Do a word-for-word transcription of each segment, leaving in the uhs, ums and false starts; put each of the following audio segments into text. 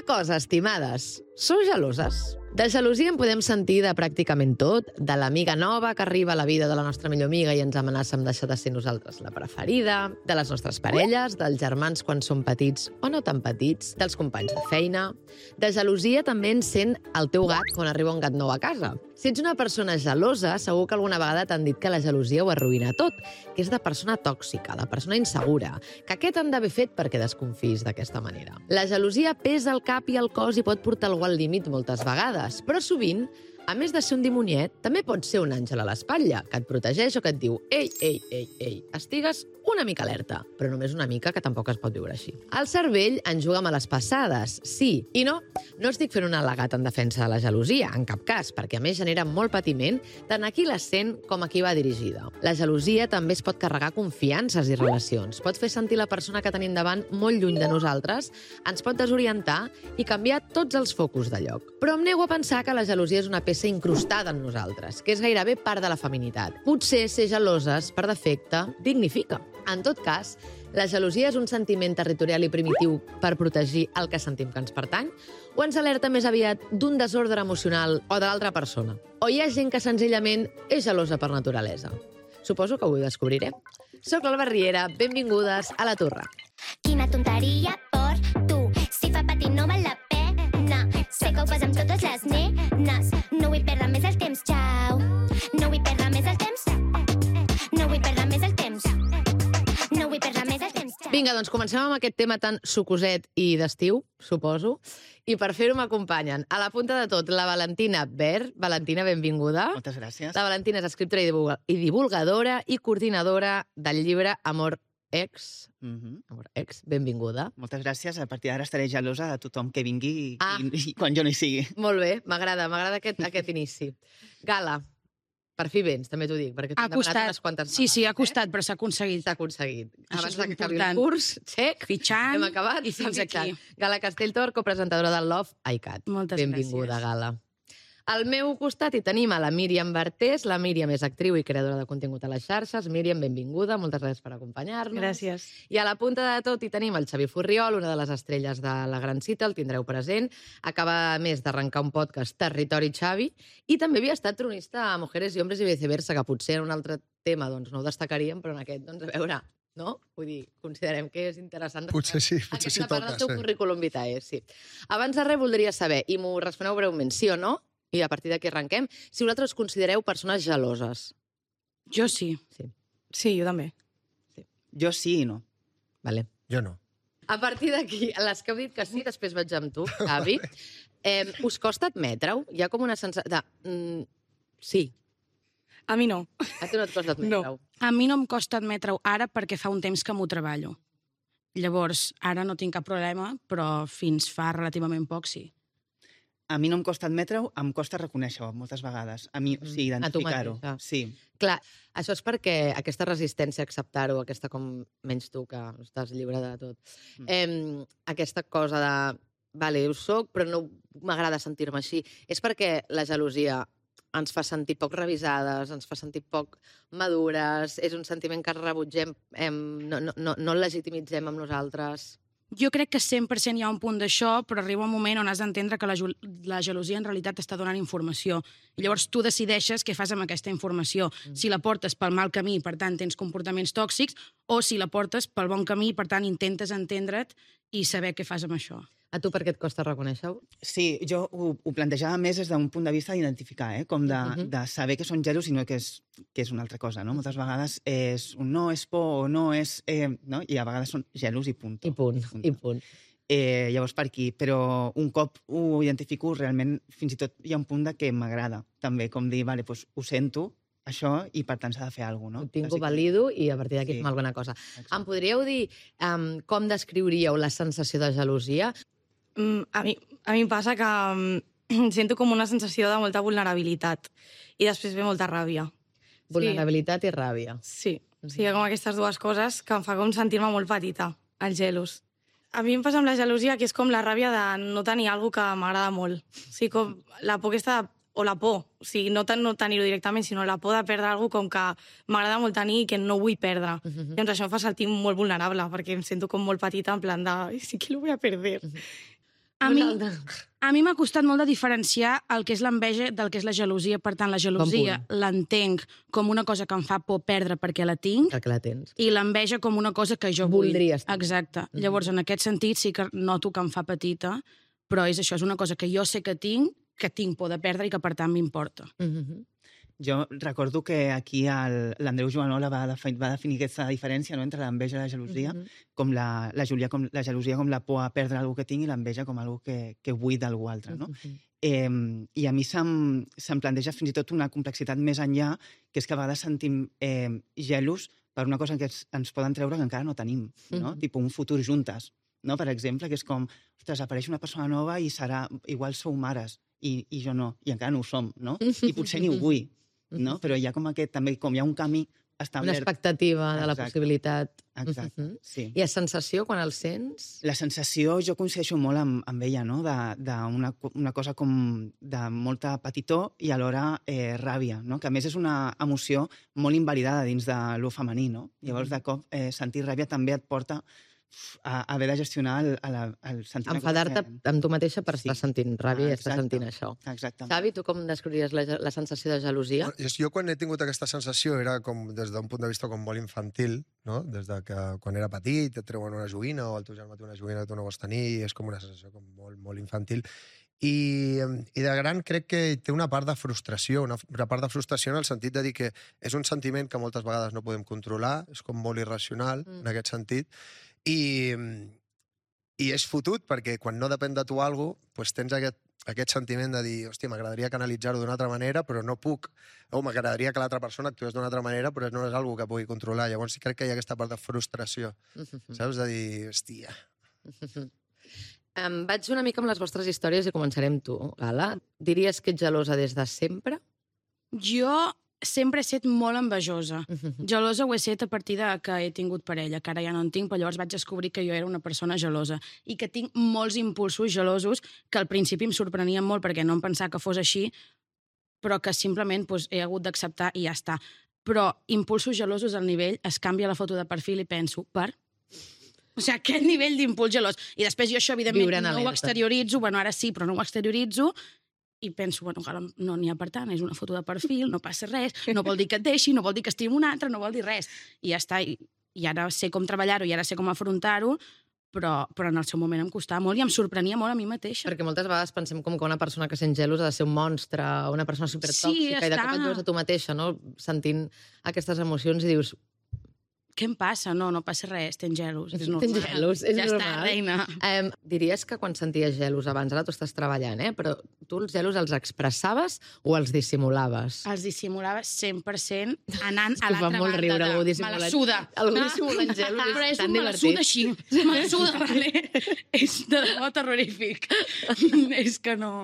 cosa, estimades. Sou geloses? De gelosia en podem sentir de pràcticament tot, de l'amiga nova que arriba a la vida de la nostra millor amiga i ens amenaça amb deixar de ser nosaltres la preferida, de les nostres parelles, dels germans quan són petits o no tan petits, dels companys de feina. De gelosia també en sent el teu gat quan arriba un gat nou a casa. Si ets una persona gelosa, segur que alguna vegada t'han dit que la gelosia ho arruïna tot, que és de persona tòxica, de persona insegura, que què t'han d'haver fet perquè desconfis d'aquesta manera. La gelosia pesa el cap i el cos i pot portar algú al límit moltes vegades, però sovint, a més de ser un dimoniet, també pot ser un àngel a l'espatlla, que et protegeix o que et diu «Ei, ei, ei, ei, estigues una mica alerta», però només una mica, que tampoc es pot viure així. El cervell ens juga males passades, sí i no. No estic fent un al·legat en defensa de la gelosia, en cap cas, perquè a més genera molt patiment tant a qui la sent com a qui va dirigida. La gelosia també es pot carregar confiances i relacions, pot fer sentir la persona que tenim davant molt lluny de nosaltres, ens pot desorientar i canviar tots els focus de lloc. Però em nego a pensar que la gelosia és una peça incrustada en nosaltres, que és gairebé part de la feminitat. Potser ser geloses, per defecte, dignifica. En tot cas, la gelosia és un sentiment territorial i primitiu per protegir el que sentim que ens pertany, o ens alerta més aviat d'un desordre emocional o de l'altra persona. O hi ha gent que senzillament és gelosa per naturalesa. Suposo que ho descobrirem. Soc l'Alba Riera, benvingudes a La Torre. Quina tonteria per tu, si fa patir no val la pena. Sé que ho fas amb totes les nenes, no vull perdre més el temps, xau. No vull perdre més el temps, no vull perdre més el temps. No vull perdre més el temps. Vinga, doncs comencem amb aquest tema tan sucoset i d'estiu, suposo. I per fer-ho m'acompanyen a la punta de tot la Valentina Ver. Valentina, benvinguda. Moltes gràcies. La Valentina és escriptora i divulga- i divulgadora i coordinadora del llibre Amor Ex. Mhm. Amor Ex, benvinguda. Moltes gràcies. A partir d'ara estaré gelosa de tothom que vingui i, Ah. i, i quan jo no hi sigui. Molt bé, m'agrada, m'agrada aquest, aquest inici. Gala, per fi vens, també t'ho dic, perquè t'ho Ha hem demanat costat. unes quantes Sí, sí, ha vegades, costat, però s'ha eh? aconseguit. S'ha aconseguit. Això Abans és de que acabi el important. curs, xec, Fitxant hem acabat i fins fitxant. aquí. Gala Castelltor, copresentadora del Love iCat. Moltes Benvinguda, gràcies. Gala. Al meu costat hi tenim a la Míriam Bartés. La Míriam és actriu i creadora de contingut a les xarxes. Míriam, benvinguda, moltes gràcies per acompanyar-nos. Gràcies. I a la punta de tot hi tenim el Xavi Furriol, una de les estrelles de La Gran Cita, el tindreu present. Acaba, a més, d'arrencar un podcast, Territori Xavi, i també havia estat tronista a Mujeres i Hombres i viceversa, que potser en un altre tema doncs, no ho destacaríem, però en aquest, doncs, a veure, no? Vull dir, considerem que és interessant. Potser sí, potser sí Aquesta part toca, del teu sí. currículum vitae, sí. Abans de res, voldria saber, i m'ho responeu breument, sí o no, i a partir d'aquí arrenquem, si vosaltres us considereu persones geloses. Jo sí. Sí. Sí, jo també. Jo sí i no. Vale. Jo no. A partir d'aquí, les que heu dit que sí, després vaig amb tu, Xavi, eh, us costa admetre-ho? Hi ha com una sensació de... Mm, sí, A mi no. a tu no et costa admetre-ho. A mi no em costa admetre-ho ara perquè fa un temps que m'ho treballo. Llavors, ara no tinc cap problema, però fins fa relativament poc sí. A mi no em costa admetre-ho, em costa reconèixer-ho moltes vegades. A mi, o sigui, A tu identificar-ho. mateixa. Sí. Clar, això és perquè aquesta resistència a acceptar-ho, aquesta com menys tu, que estàs lliure de tot, Mm. eh, aquesta cosa de, vale, ho soc, però no m'agrada sentir-me així, és perquè la gelosia ens fa sentir poc revisades, ens fa sentir poc madures, és un sentiment que rebutgem, eh, no, no, no, no el legitimitzem amb nosaltres. Jo crec que cent per cent hi ha un punt d'això, però arriba un moment on has d'entendre que la, gel- la gelosia en realitat t'està donant informació. I llavors tu decideixes què fas amb aquesta informació. Mm. Si la portes pel mal camí, per tant tens comportaments tòxics, o si la portes pel bon camí, per tant intentes entendre't i saber què fas amb això. A tu per què et costa reconèixer-ho? Sí, jo ho, ho plantejava més des d'un punt de vista d'identificar, eh? Com de, Mhm. de saber que són gelos i no que és, que és una altra cosa, no? Moltes vegades és un no, és por, o no, és... Eh, no? I a vegades són gelos i punt. I punt, i punt. Eh, llavors per aquí, però un cop ho identifico, realment fins i tot hi ha un punt de que m'agrada, també, com dir, vale, doncs ho sento, això, i per tant s'ha de fer alguna cosa, no? Ho tinc, ho Així que- valido i a partir d'aquí Sí. fem alguna cosa. Exacte. Em podríeu dir um, com descriuríeu la sensació de gelosia? Mm, a, mi, a mi em passa que mm, sento com una sensació de molta vulnerabilitat i després ve molta ràbia. Vulnerabilitat i ràbia. Sí, sí, hi ha com aquestes dues coses que em fa com sentir-me molt petita, els gelos. A mi em passa amb la gelosia que és com la ràbia de no tenir alguna que m'agrada molt. O sigui, com la por aquesta de o la por, o sigui, no, ten, no tenir-ho directament, sinó la por de perdre alguna com que m'agrada molt tenir i que no vull perdre. Uh -huh. Llavors això em fa sentir molt vulnerable, perquè em sento com molt petita, en plan de, "Ai, sí que lo voy a perder". Uh -huh. A mi, a mi m'ha costat molt de diferenciar el que és l'enveja del que és la gelosia. Per tant, la gelosia l'entenc com una cosa que em fa por perdre perquè la tinc, Que la tens. i l'enveja com una cosa que jo vull. Voldries tenir. Exacte. Mm-hmm. Llavors, en aquest sentit, sí que noto que em fa petita, però és això, és una cosa que jo sé que tinc, que tinc por de perdre i que, per tant, m'importa. Mm-hmm. Jo recordo que aquí l'Andreu Joanola va, defi va definir aquesta diferència, no?, entre l'enveja i la gelosia, mm -hmm. com la, la, Júlia, com la gelosia com la por a perdre algú que tinc i l'enveja com algú que, que vull d'algú altre. No? Mm -hmm. eh, I a mi se'm, se'm planteja fins i tot una complexitat més enllà, que és que a vegades sentim eh, gelos per una cosa que ens, ens poden treure que encara no tenim, no? Mm -hmm. Tipo un futur juntes, no? Per exemple, que és com, ostres, apareix una persona nova i serà, igual sou mares, i, i jo no, i encara no ho som, no? I potser ni ho vull. No? Però hi ha com aquest, també, com hi ha un camí establert. Una expectativa de la Exacte. possibilitat. Exacte, uh-huh. sí. I la sensació, quan el sents? La sensació, jo coincideixo molt amb, amb ella, no?, d'una una cosa com de molta petitor i alhora eh, ràbia, no?, que a més és una emoció molt invalidada dins de lo femení, no? Llavors, de cop, eh, sentir ràbia també et porta a haver de gestionar el, el, el sentiment... Enfadar-te amb tu mateixa per Sí. estar sentint ràbia Ah, i estar exacte. sentint això. Exactament. Xavi, tu com descriuries la, la sensació de gelosia? Bueno, jo quan he tingut aquesta sensació era com des d'un punt de vista com molt infantil, no? Des de que quan era petit et treuen una joguina o el teu germà té una joguina que tu no vols tenir, i és com una sensació com molt, molt infantil. I, I de gran crec que té una part de frustració, una, una part de frustració en el sentit de dir que és un sentiment que moltes vegades no podem controlar, és com molt irracional mm. en aquest sentit, i, i és fotut perquè quan no depèn de tu alguna cosa, doncs tens aquest, aquest sentiment de dir, hòstia, m'agradaria canalitzar-ho d'una altra manera, però no puc, o m'agradaria que l'altra persona actués d'una altra manera, però no és algo que pugui controlar. Llavors sí crec que hi ha aquesta part de frustració, saps? De dir, hòstia... Um, vaig una mica amb les vostres històries i començarem tu, Gala. Diries que ets gelosa des de sempre? Jo sempre he estat molt envejosa. Gelosa ho he estat a partir de que he tingut parella, que ara ja no en tinc, però llavors vaig descobrir que jo era una persona gelosa i que tinc molts impulsos gelosos que al principi em sorprenien molt perquè no em pensava que fos així, però que simplement doncs, he hagut d'acceptar i ja està. Però impulsos gelosos al nivell, es canvia la foto de perfil i penso, per... O sigui, aquest nivell d'impuls gelós. I després jo això, evidentment, no ho exterioritzo, bueno, ara sí, però no ho exterioritzo, i penso, bueno, no n'hi ha per tant, és una foto de perfil, no passa res, no vol dir que et deixi, no vol dir que estigui un altre, no vol dir res. I ja està, i, i ara sé com treballar-ho, i ara sé com afrontar-ho, però, però en el seu moment em costava molt i em sorprenia molt a mi mateixa. Perquè moltes vegades pensem com que una persona que sent gelos ha de ser un monstre, una persona supertòxica, sí, i de cop et veus a tu mateixa, no?, sentint aquestes emocions i dius... Què em passa? No, no passa res, tens gelos. És normal. Tens gelos, és ja normal. Ja està, reina. Um, diries que quan senties gelos abans, ara tu estàs treballant, eh? Però tu els gelos els expressaves o els dissimulaves? Els dissimulaves cent per cent anant a l'altra banda. Fa molt riure de... algú dissimulant. Me la suda. Algú dissimulant gelos és, però és tan un divertit. Me la suda així. Me la suda, vale? És de debò terrorífic. És que no...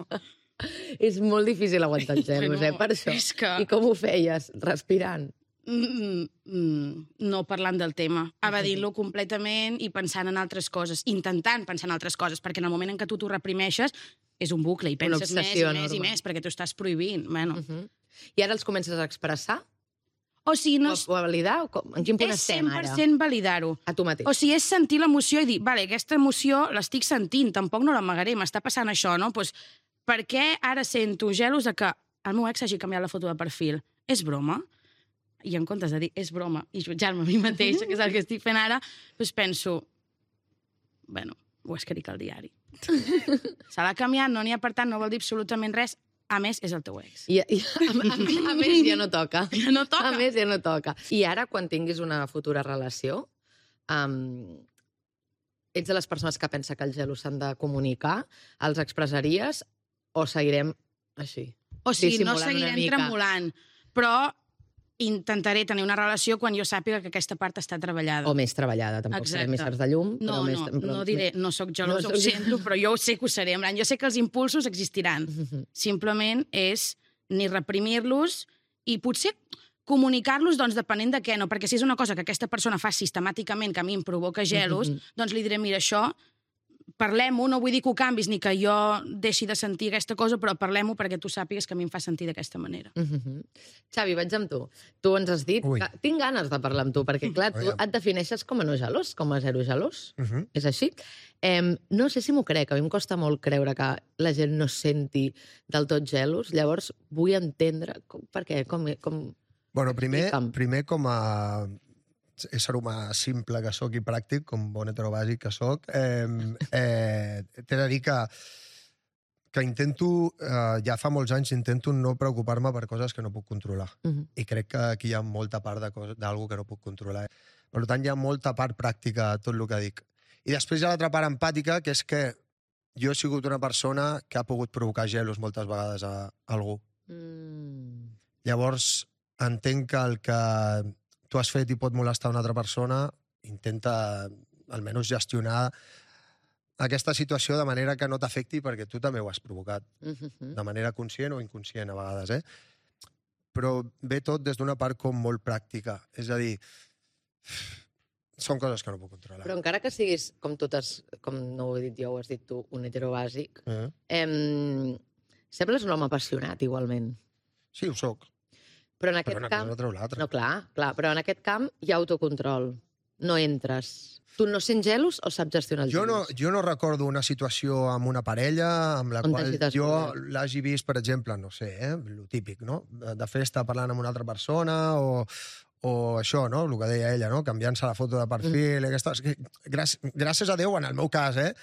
És molt difícil aguantar els gelos, no, eh, per això. És que... I com ho feies? Respirant? Mm, mm, no parlant del tema, evadint-lo completament i pensant en altres coses, intentant pensar en altres coses, perquè en el moment en què tu t'ho reprimeixes és un bucle i penses més i més i més perquè t'ho estàs prohibint. Bueno. Uh -huh. I ara els comences a expressar? O sigui, no... O a validar? Com? En quin punt estem ara? És cent per cent validar-ho. A tu mateix. O sigui, és sentir l'emoció i dir, vale, aquesta emoció l'estic sentint, tampoc no l'amagaré, m'està passant això, no? Pues, per què ara sento gelos de que el meu ex hagi canviat la foto de perfil? És broma? I en comptes de dir, és broma, i jutjar-me a mi mateixa, que és el que estic fent ara, doncs penso, bueno, ho escric al diari. Se l'ha canviat, no n'hi ha per tant, no vol dir absolutament res, a més, és el teu ex. I, i, a, a, a més, ja no toca. Ja no toca. A més, ja no toca. I ara, quan tinguis una futura relació, um, ets de les persones que pensa que els gelos s'han de comunicar, els expressaries o seguirem així? O sigui, no seguirem tremolant, però intentaré tenir una relació quan jo sàpiga que aquesta part està treballada. O més treballada, tampoc serem éssers de llum. No, però no, més, però... no diré, no sóc gelosa, no ho sento, però jo sé que ho seré. Jo sé que els impulsos existiran. Uh -huh. Simplement és ni reprimir-los i potser comunicar-los, doncs, depenent de què, no? Perquè si és una cosa que aquesta persona fa sistemàticament, que a mi em provoca gelos, uh -huh. doncs li diré, mira, això parlem-ho, no vull dir que ho canvis ni que jo deixi de sentir aquesta cosa, però parlem-ho perquè tu sàpigues que a mi em fa sentir d'aquesta manera. Uh -huh. Xavi, vaig amb tu. Tu ens has dit Ui. que tinc ganes de parlar amb tu, perquè, clar, tu Aviam. et defineixes com a no gelós, com a zero gelós. Uh -huh. És així? Eh, no sé si m'ho crec, a mi em costa molt creure que la gent no es senti del tot gelos. Llavors, vull entendre com, per què, com... com... Bueno, primer, Explica'm. primer com a ésser humà simple que sóc i pràctic, com bon heterobàsic que sóc, eh, eh, t'he de dir que que intento, eh, ja fa molts anys, intento no preocupar-me per coses que no puc controlar. Uh -huh. I crec que aquí hi ha molta part de d'algú que no puc controlar. Per tant, hi ha molta part pràctica a tot el que dic. I després hi ha l'altra part empàtica, que és que jo he sigut una persona que ha pogut provocar gelos moltes vegades a, a algú. Mm. Llavors, entenc que el que tu has fet i pot molestar una altra persona, intenta almenys gestionar aquesta situació de manera que no t'afecti perquè tu també ho has provocat, Uh -huh. de manera conscient o inconscient a vegades, eh? Però ve tot des d'una part com molt pràctica. És a dir, són coses que no puc controlar. Però encara que siguis, com totes, com no ho he dit jo, ho has dit tu, un heterobàsic, Eh? eh, sembles un home apassionat, igualment. Sí, ho soc. Però en Però aquest una camp... cosa no treu l'altra. No, clar, clar, però en aquest camp hi ha autocontrol. No entres. Tu no sents gelos o saps gestionar els Jo no, gelos? jo no recordo una situació amb una parella amb la On qual t'hagi jo descobert. l'hagi vist, per exemple, no sé, eh, lo típic, no? De festa parlant amb una altra persona o, o això, no? El que deia ella, no? Canviant-se la foto de perfil, mm. aquestes... Gràcies, gràcies a Déu, en el meu cas, eh?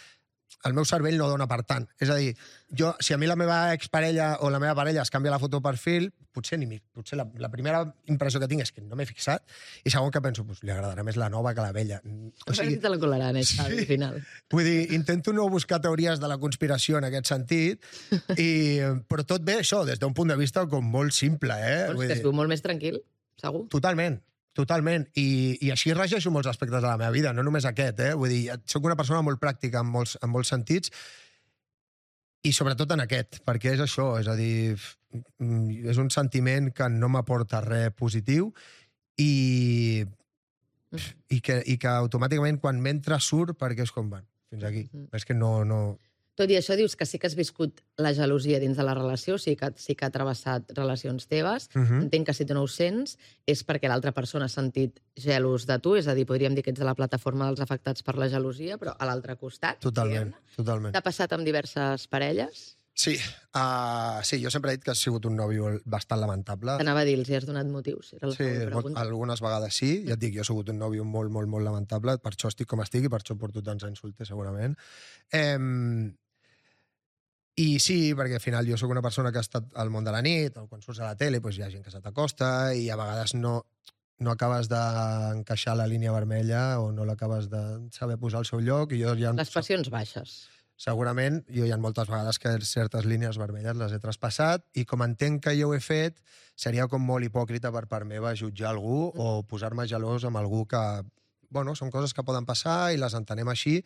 El meu cervell no dona per tant. És a dir, jo, si a mi la meva exparella o la meva parella es canvia la foto de perfil, potser, ni, mi- potser la, la primera impressió que tinc és que no m'he fixat, i segon que penso, pues, li agradarà més la nova que la vella. O sigui... te la colaran, eh, Xavi, Sí. al final. Vull dir, intento no buscar teories de la conspiració en aquest sentit, i, però tot ve això, des d'un punt de vista com molt simple, eh? Vols Vull que es dir, viu molt més tranquil, segur? totalment, totalment. I, I així regeixo molts aspectes de la meva vida, no només aquest, eh? Vull dir, soc una persona molt pràctica en molts, en molts sentits, i sobretot en aquest, perquè és això, és a dir, mm, és un sentiment que no m'aporta res positiu i, i, que, i que automàticament quan m'entra surt perquè és com, bueno, fins aquí. Mhm. És que no... no... Tot i això dius que sí que has viscut la gelosia dins de la relació, o sigui que sí que ha travessat relacions teves. Uh -huh. Entenc que si tu no ho sents és perquè l'altra persona ha sentit gelos de tu, és a dir, podríem dir que ets de la plataforma dels afectats per la gelosia, però a l'altre costat. Totalment, diguem-ne. totalment. T'ha passat amb diverses parelles? Sí, uh, sí, jo sempre he dit que has sigut un nòvio bastant lamentable. T'anava a dir, els hi has donat motius? Era la Sí, següent molt, pregunta. algunes vegades sí. Ja et dic, jo he sigut un nòvio molt, molt, molt lamentable, per això estic com estic i per això porto tants anys solter, segurament. Eh, I sí, perquè al final jo sóc una persona que ha estat al món de la nit, o quan surts a la tele doncs hi ha gent que se t'acosta i a vegades no, no acabes d'encaixar la línia vermella o no l'acabes de saber posar al seu lloc. I jo ja... Les passions baixes. Segurament, jo hi ha moltes vegades que certes línies vermelles les he traspassat i com entenc que jo ho he fet, seria com molt hipòcrita per part meva jutjar algú o posar-me gelós amb algú que... Bueno, són coses que poden passar i les entenem així.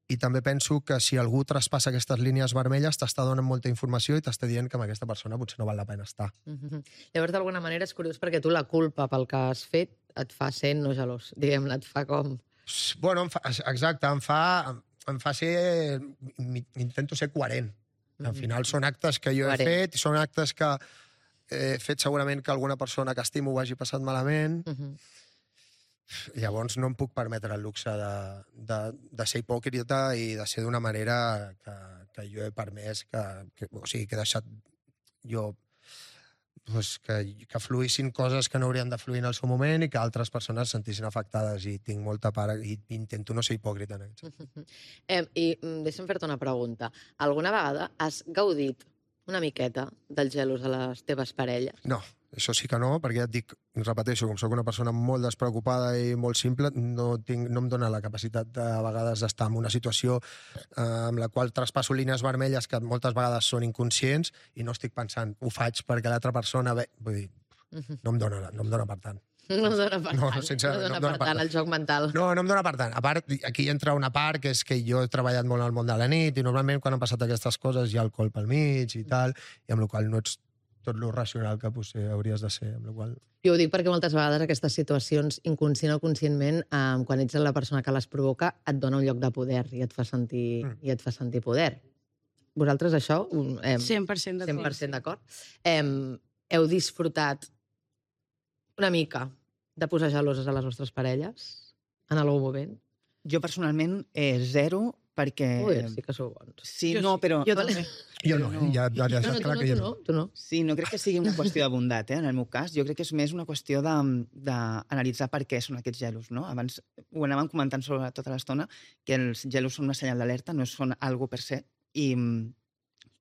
I també penso que si algú traspassa aquestes línies vermelles t'està donant molta informació i t'està dient que amb aquesta persona potser no val la pena estar. Mm-hmm. Llavors, d'alguna manera, és curiós perquè tu la culpa pel que has fet et fa ser no gelós, diguem-ne, et fa com... Bueno, em fa, exacte, em fa, em, em fa ser... Intento ser coherent. Al final són actes que jo he Coherent. fet i són actes que he fet segurament que alguna persona que estimo ho hagi passat malament. Mm-hmm. Llavors no em puc permetre el luxe de, de, de ser hipòcrita i de ser d'una manera que, que jo he permès que, que, o sigui, que he deixat jo pues, que, que fluïssin coses que no haurien de fluir en el seu moment i que altres persones es sentissin afectades i tinc molta part i intento no ser hipòcrita en aquest sentit. Eh, I mm, deixa'm fer-te una pregunta. Alguna vegada has gaudit una miqueta dels gelos a les teves parelles? No, això sí que no, perquè ja et dic, repeteixo, com sóc una persona molt despreocupada i molt simple, no, tinc, no em dóna la capacitat de, a vegades d'estar en una situació eh, amb la qual traspasso línies vermelles que moltes vegades són inconscients i no estic pensant, ho faig perquè l'altra persona... Ve... Vull dir, no em dóna, no em dóna per tant. No dona per No, tant, sincerament, no no dona em dona per per tant el joc mental. No, no em dóna per tant. A part, aquí entra una part que és que jo he treballat molt al món de la nit i normalment quan han passat aquestes coses hi ha alcohol pel mig i tal, i amb la qual no ets tot lo racional que potser hauries de ser, amb la qual... Jo ho dic perquè moltes vegades aquestes situacions, inconscient o conscientment, eh, quan ets la persona que les provoca, et dona un lloc de poder i et fa sentir, mm. i et fa sentir poder. Vosaltres això... Eh, cent per cent d'acord. cent per cent d'acord. Eh, heu disfrutat una mica de posar geloses a les vostres parelles en algun moment? Jo personalment eh, zero, perquè... Ui, sí que sou bons. Sí, Jo no, sí. però... Jo també. Jo no, eh? ja, ja, ja No, saps no, tu clar no, que jo tu no. no, tu no. Sí, no crec que sigui una qüestió de bondat, eh, en el meu cas. Jo crec que és més una qüestió d'analitzar per què són aquests gelos, no? Abans ho anàvem comentant sobre tota l'estona, que els gelos són una senyal d'alerta, no són algo per se. I,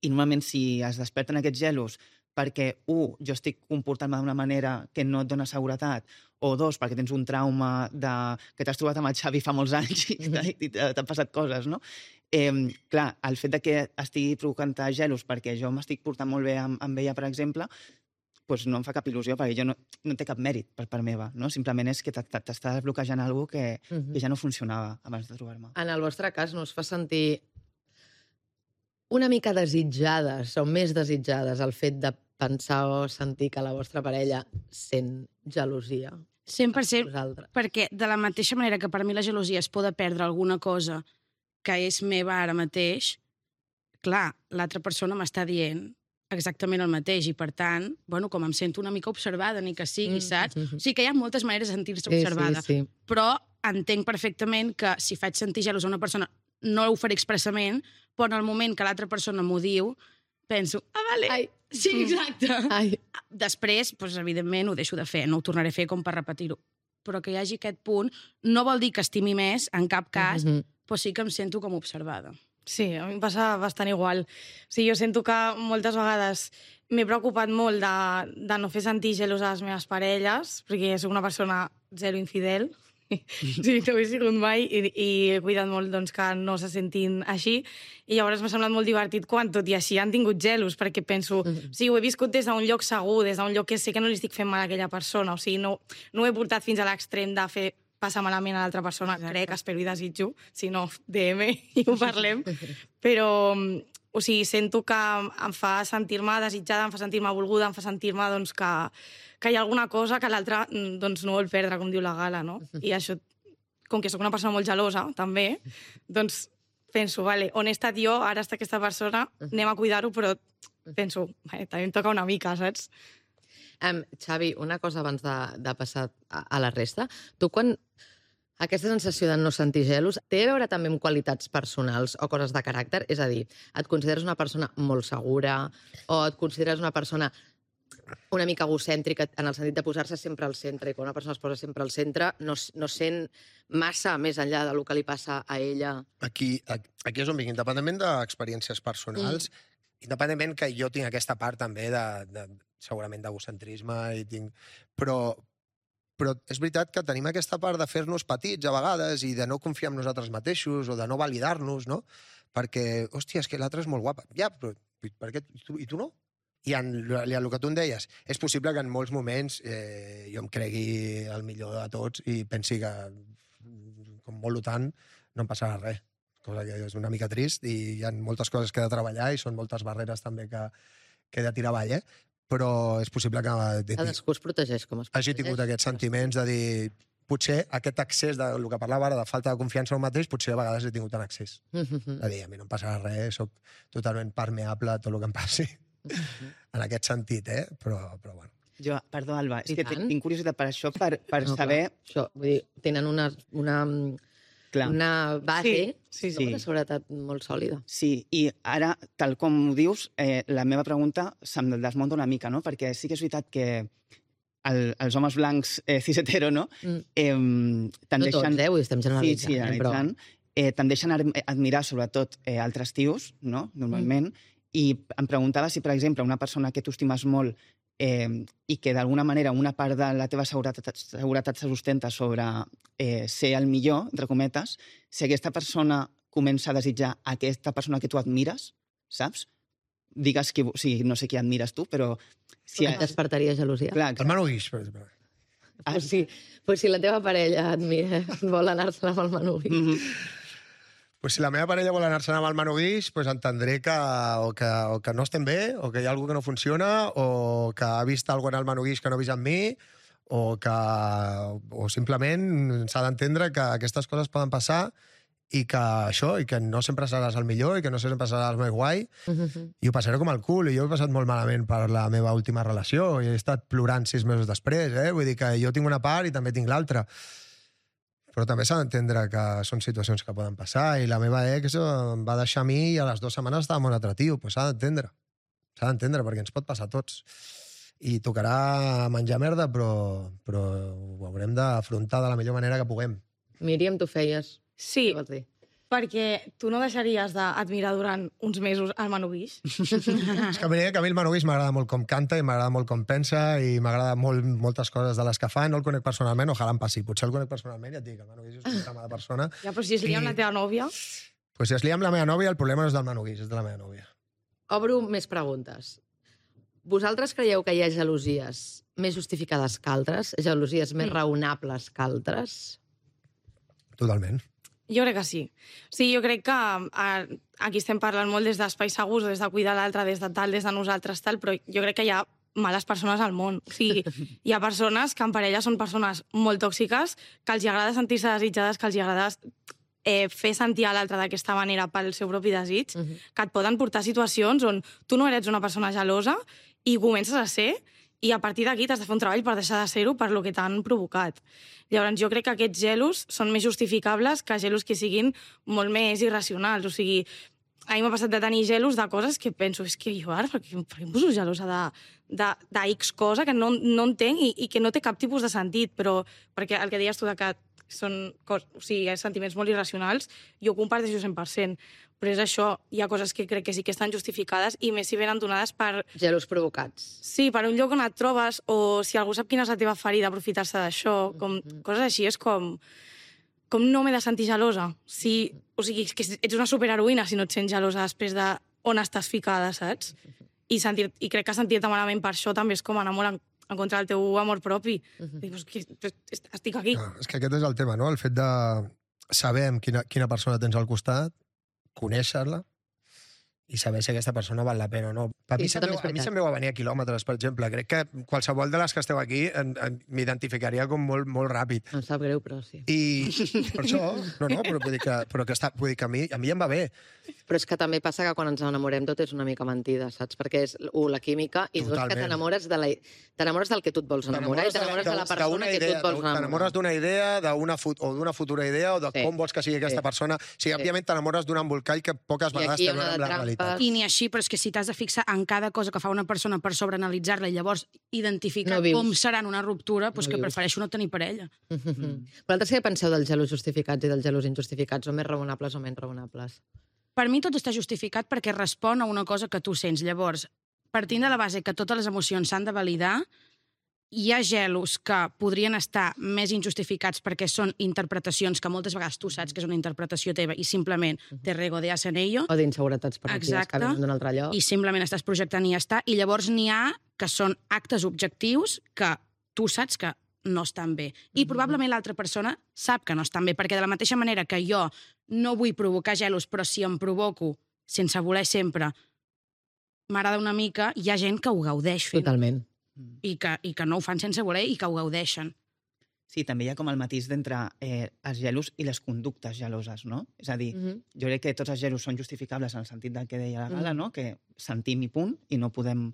I normalment si es desperten aquests gelos perquè, un, jo estic comportant-me d'una manera que no et dona seguretat, o dos, perquè tens un trauma de... que t'has trobat amb el Xavi fa molts anys i i t'han passat coses, no? Eh, clar, el fet de que estigui provocant gelos perquè jo m'estic portant molt bé amb, amb ella, per exemple, doncs no em fa cap il·lusió, perquè jo no, no té cap mèrit per part meva, no? Simplement és que t'està bloquejant alguna cosa que, uh -huh. que ja no funcionava abans de trobar-me. En el vostre cas, no us fa sentir una mica desitjades o més desitjades el fet de pensar o sentir que la vostra parella sent gelosia? cent per cent, Vosaltres. perquè de la mateixa manera que per mi la gelosia es pot perdre alguna cosa que és meva ara mateix, clar, l'altra persona m'està dient exactament el mateix i, per tant, bueno, com em sento una mica observada, ni que sigui, Mm, saps? mm, mm. O sigui que hi ha moltes maneres de sentir-se Sí, observada, sí, sí. però entenc perfectament que si faig sentir gelos a una persona, no ho faré expressament, però en el moment que l'altra persona m'ho diu, penso, ah, vale, Ai. sí, exacte. Ai. Després, doncs, evidentment, ho deixo de fer, no ho tornaré a fer com per repetir-ho. Però que hi hagi aquest punt no vol dir que estimi més, en cap cas, Mhm. però sí que em sento com observada. Sí, a mi em passa bastant igual. O sigui, jo sento que moltes vegades m'he preocupat molt de, de no fer sentir gelos a les meves parelles, perquè soc una persona zero infidel. Sí, no ho he sigut mai i, i he cuidat molt doncs, que no se sentin així. I llavors m'ha semblat molt divertit quan, tot i així, han tingut gelos, perquè penso, Mhm. sí, ho he viscut des d'un lloc segur, des d'un lloc que sé que no li estic fent mal a aquella persona. O sigui, no, no ho he portat fins a l'extrem de fer passar malament a l'altra persona, Exacte. crec, espero i desitjo, si no, D M i ho parlem. Però, o sigui, sento que em fa sentir-me desitjada, em fa sentir-me volguda, em fa sentir-me doncs, que, que hi ha alguna cosa que l'altre doncs, no vol perdre, com diu la Gala, no? I això, com que sóc una persona molt gelosa, també, doncs penso, vale, on he estat jo, ara està aquesta persona, anem a cuidar-ho, però penso, vale, també em toca una mica, saps? Um, Xavi, una cosa abans de, de passar a, a la resta. Tu, quan aquesta sensació de no sentir gelos té a veure també amb qualitats personals o coses de caràcter? És a dir, et consideres una persona molt segura o et consideres una persona una mica egocèntrica en el sentit de posar-se sempre al centre, i quan una persona es posa sempre al centre no, no sent massa més enllà del que li passa a ella? Aquí, aquí és on vinc, independentment d'experiències personals, mm. independentment que jo tinc aquesta part també de, de segurament d'egocentrisme, i tinc... però, però és veritat que tenim aquesta part de fer-nos petits a vegades i de no confiar en nosaltres mateixos o de no validar-nos, no? Perquè, hòstia, és que l'altra és molt guapa. Ja, però per què? I tu, i tu no? I en, en el que tu em deies, és possible que en molts moments eh, jo em cregui el millor de tots i pensi que, com molt tant, no em passarà res. Cosa que és una mica trist i hi ha moltes coses que he de treballar i són moltes barreres també que, que he de tirar avall, eh? Però és possible que Cadascú es protegeix com es protegeix. hagi tingut aquests sentiments de dir potser aquest accés del que parlava ara de falta de confiança en el mateix, potser a vegades he tingut en accés. Mhm. De dir, a mi no em passarà res, soc totalment permeable a tot el que em passi. En aquest sentit, eh? Però, però bueno. Jo, perdó, Alba, és I que tant. tinc curiositat per això, per, per No, saber... clar, això, vull dir, tenen una, una, Clar. una base, Sí, sí, no? sí. de seguretat molt sòlida. Sí, i ara, tal com ho dius, eh, la meva pregunta se'm desmunta una mica, no? Perquè sí que és veritat que el, els homes blancs eh, cis-hetero, no? Mm. Eh, No tendeixen... tots, eh? Ho estem Sí, generalitzant. sí, eh, però... analitzant. Eh, tendeixen a admirar, sobretot, eh, altres tios, no? Normalment. Mm. I em preguntava si, per exemple, una persona que tu estimes molt eh, i que d'alguna manera una part de la teva seguretat, seguretat se sustenta sobre eh, ser el millor, entre cometes, si aquesta persona comença a desitjar aquesta persona que tu admires, saps? Digues que... O sigui, no sé qui admires tu, però... Si, Et despertaria gelosia? clar, El Manu Guix, per exemple. Ah. Pues sí, pues si la teva parella et mira, vol anar-se'n amb el Manu Guix. Mm -hmm. pues si la meva parella vol anar-se'n amb el Manu Guix, pues entendré que o, que o que no estem bé, o que hi ha alguna que no funciona, o que ha vist alguna en el Manu Guix que no ha vist en mi, o que o simplement s'ha d'entendre que aquestes coses poden passar i que això, i que no sempre seràs el millor, i que no sempre seràs el més guai, Mhm. i ho passaré com el cul, i jo he passat molt malament per la meva última relació, i he estat plorant sis mesos després, eh? Vull dir que jo tinc una part i també tinc l'altra. Però també s'ha d'entendre que són situacions que poden passar, i la meva ex em va deixar a mi i a les dues setmanes estava molt atractiu, doncs s'ha d'entendre. S'ha d'entendre, perquè ens pot passar a tots. I tocarà menjar merda, però, però ho haurem d'afrontar de la millor manera que puguem. Míriam, tu feies. Sí, Què vols dir? perquè tu no deixaries d'admirar durant uns mesos el Manu Guix. És que, mira, que a mi el Manu Guix m'agrada molt com canta i m'agrada molt com pensa i m'agrada molt moltes coses de les que fa. No el conec personalment, ojalà em passi. Potser el conec personalment i et dic, el Manu Guix és una trama de persona. Ja, però si es lia amb la teva nòvia... Pues si es lia amb la meva nòvia, el problema no és del Manu Guix, és de la meva nòvia. Obro més preguntes. Vosaltres creieu que hi ha gelosies més justificades que altres? Gelosies més raonables que altres? Totalment. Jo crec que sí. Sí, jo crec que a, aquí estem parlant molt des d'espais segurs, des de cuidar l'altre, des de tal, des de nosaltres, tal, però jo crec que hi ha males persones al món. O sigui, hi ha persones que en parella són persones molt tòxiques, que els agrada sentir-se desitjades, que els agrada eh, fer sentir a l'altre d'aquesta manera pel seu propi desig, Uh -huh. que et poden portar a situacions on tu no eres una persona gelosa i comences a ser, i a partir d'aquí t'has de fer un treball per deixar de ser-ho per lo que t'han provocat. Llavors, jo crec que aquests gelos són més justificables que gelos que siguin molt més irracionals. O sigui, a mi m'ha passat de tenir gelos de coses que penso, és que jo ara, per què, per què em poso gelosa de, de, de X cosa que no, no entenc i, i que no té cap tipus de sentit, però perquè el que deies tu de que són cos, o sigui, sentiments molt irracionals, jo ho comparteixo cent per cent. Però és això, hi ha coses que crec que sí que estan justificades i més si venen donades per... Gelos provocats. Sí, per un lloc on et trobes, o si algú sap quina és la teva ferida, aprofitar-se d'això, com coses així, és com... Com no m'he de sentir gelosa? Si, o sigui, és que ets una superheroïna si no et sents gelosa després de on estàs ficada, saps? I, sentir, i crec que sentir-te malament per això també és com anar molt en, en contra del teu amor propi. Uh -huh. Dius, que estic aquí. Ah, és que aquest és el tema, no? El fet de saber amb quina, quina persona tens al costat, conèixer-la i saber si aquesta persona val la pena o no. A mi, Sí, això se'm també veu, és a mi veritat. se'm veu a venir a quilòmetres, per exemple. Crec que qualsevol de les que esteu aquí en- en- m'identificaria com molt, molt ràpid. Em sap greu, però sí. I per això, no, no, però vull dir que, però que, està, vull dir que a, mi, a mi em va bé. Però és que també passa que quan ens enamorem tot és una mica mentida, saps? Perquè és, un, la química, i dos, que Totalment. t'enamores de la, t'enamores del que tu et vols enamorar i t'enamores de la persona d'una que tu idea, et vols enamorar. T'enamores d'una idea d'una fut, o d'una futura idea o de Sí. com vols que sigui aquesta Sí. persona. O sigui, Sí. òbviament t'enamores d'un embolcall que poques I vegades aquí hi ha té a una veure de amb la trampes. realitat. I ni així, però és que si t'has de fixar en cada cosa que fa una persona per sobreanalitzar-la i llavors identificar No vius. com serà en una ruptura, doncs No que vius. prefereixo no tenir parella. Mm. Vosaltres què penseu dels gelos justificats i dels gelos injustificats? Són més raonables o menys raonables? Per mi tot està justificat perquè respon a una cosa que tu sents. Llavors, partint de la base que totes les emocions s'han de validar, hi ha gelos que podrien estar més injustificats perquè són interpretacions que moltes vegades tu saps que és una interpretació teva i simplement te regodeas en ello O d'inseguretats permitives que Exacte. venen d'un altre lloc? i simplement estàs projectant i ja està. I llavors n'hi ha que són actes objectius que tu saps que no estan bé. I probablement l'altra persona sap que no estan bé, perquè de la mateixa manera que jo no vull provocar gelos, però si em provoco, sense voler sempre, m'agrada una mica, hi ha gent que ho gaudeix fent. Totalment. I que, i que no ho fan sense voler i que ho gaudeixen. Sí, també hi ha com el matís d'entre eh, els gelos i les conductes geloses, no? És a dir, Mm -hmm. jo crec que tots els gelos són justificables en el sentit del que deia la Gala, Mm. no? Que sentim i punt, i no podem...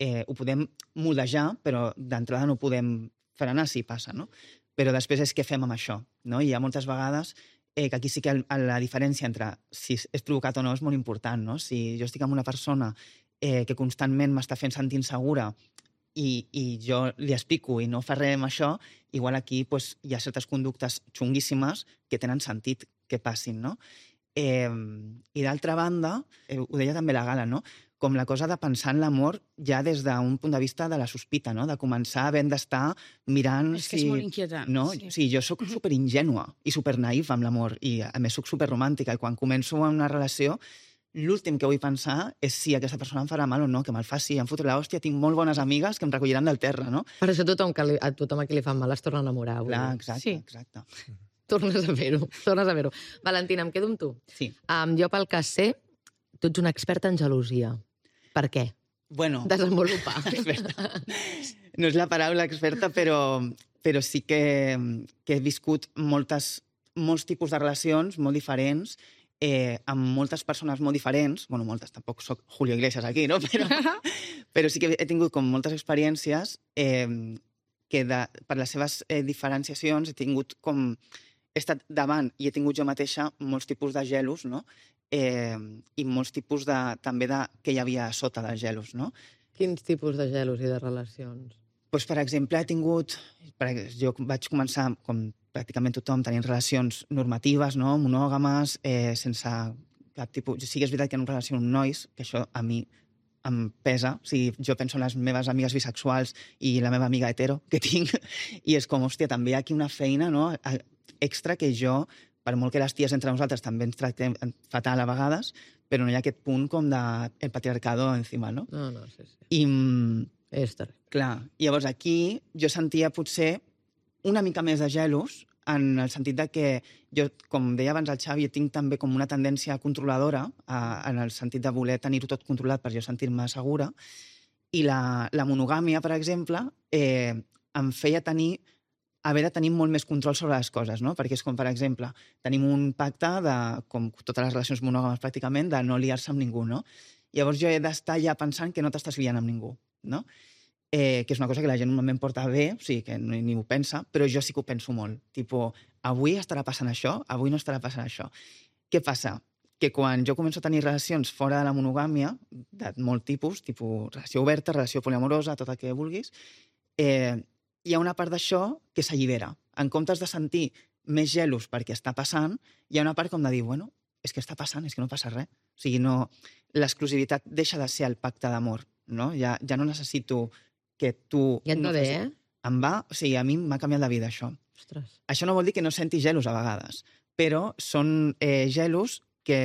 Eh, ho podem modejar, però d'entrada no podem frenar si passa, no? Però després és què fem amb això, no? I hi ha moltes vegades eh, que aquí sí que el, la diferència entre si és provocat o no és molt important, no? Si jo estic amb una persona eh, que constantment m'està fent sentir insegura i, i jo li explico i no fa res amb això, igual aquí pues, hi ha certes conductes xunguíssimes que tenen sentit que passin, no? Eh, I d'altra banda, eh, ho deia també la Gala, no? Com la cosa de pensar en l'amor ja des d'un punt de vista de la sospita, no? De començar havent d'estar mirant És que si... és molt inquietant. No? Sí. Sí, jo sóc superingènua i supernaïf amb l'amor i a més sóc superromàntica i quan començo una relació l'últim que vull pensar és si aquesta persona em farà mal o no, que me'l faci, em fotré l'hòstia, tinc molt bones amigues que em recolliran del terra, no? Per això tothom, que li, a tothom a qui li fan mal es torna a enamorar. vull Clar, dir. exacte, Sí. exacte. Tornes a fer-ho, tornes a fer-ho. Valentina, em quedo amb tu. Sí. Um, jo, pel que sé, tu ets una experta en gelosia. Per què? Bueno, Desenvolupa. experta. No és la paraula experta, però, però sí que, que he viscut moltes, molts tipus de relacions molt diferents, eh, amb moltes persones molt diferents. Bueno, moltes, tampoc soc Julio Iglesias aquí, no? Però, però sí que he tingut com moltes experiències eh, que de, per les seves eh, diferenciacions he tingut com... He estat davant i he tingut jo mateixa molts tipus de gelos, no? Eh, i molts tipus de, també de què hi havia sota dels gelos, no? Quins tipus de gelos i de relacions? Pues, per exemple, he tingut... Per, jo vaig començar, com pràcticament tothom, tenint relacions normatives, no? Monògames, eh, sense cap tipus... Sí que és veritat que en una relació amb nois, que això a mi em pesa. O sigui, jo penso en les meves amigues bisexuals i la meva amiga hetero que tinc, i és com, hòstia, també hi ha aquí una feina, no?, extra que jo, per molt que les ties entre nosaltres també ens tractem fatal a vegades, però no hi ha aquest punt com de el patriarcado encima, no? No, no, sí, sí. I, És terrible. clar, llavors aquí jo sentia potser una mica més de gelos, en el sentit de que jo, com deia abans el Xavi, tinc també com una tendència controladora, a, en el sentit de voler tenir-ho tot controlat per jo sentir-me segura, i la, la monogàmia, per exemple, eh, em feia tenir haver de tenir molt més control sobre les coses, no? Perquè és com, per exemple, tenim un pacte de, com totes les relacions monògames pràcticament, de no liar-se amb ningú, no? Llavors jo he d'estar ja pensant que no t'estàs liant amb ningú, no? Eh, que és una cosa que la gent normalment porta bé, o sigui, que ni, ni ho pensa, però jo sí que ho penso molt. Tipo, avui estarà passant això, avui no estarà passant això. Què passa? Que quan jo començo a tenir relacions fora de la monogàmia, de molt tipus, tipus relació oberta, relació poliamorosa, tot el que vulguis, eh, hi ha una part d'això que s'allibera. En comptes de sentir més gelos perquè està passant, hi ha una part com de dir, bueno, és que està passant, és que no passa res. O sigui, no... l'exclusivitat deixa de ser el pacte d'amor, no? Ja, ja no necessito que tu... Ja et va no bé, facis... eh? Em va... O sigui, a mi m'ha canviat la vida, això. Ostres. Això no vol dir que no senti gelos a vegades, però són eh, gelos que...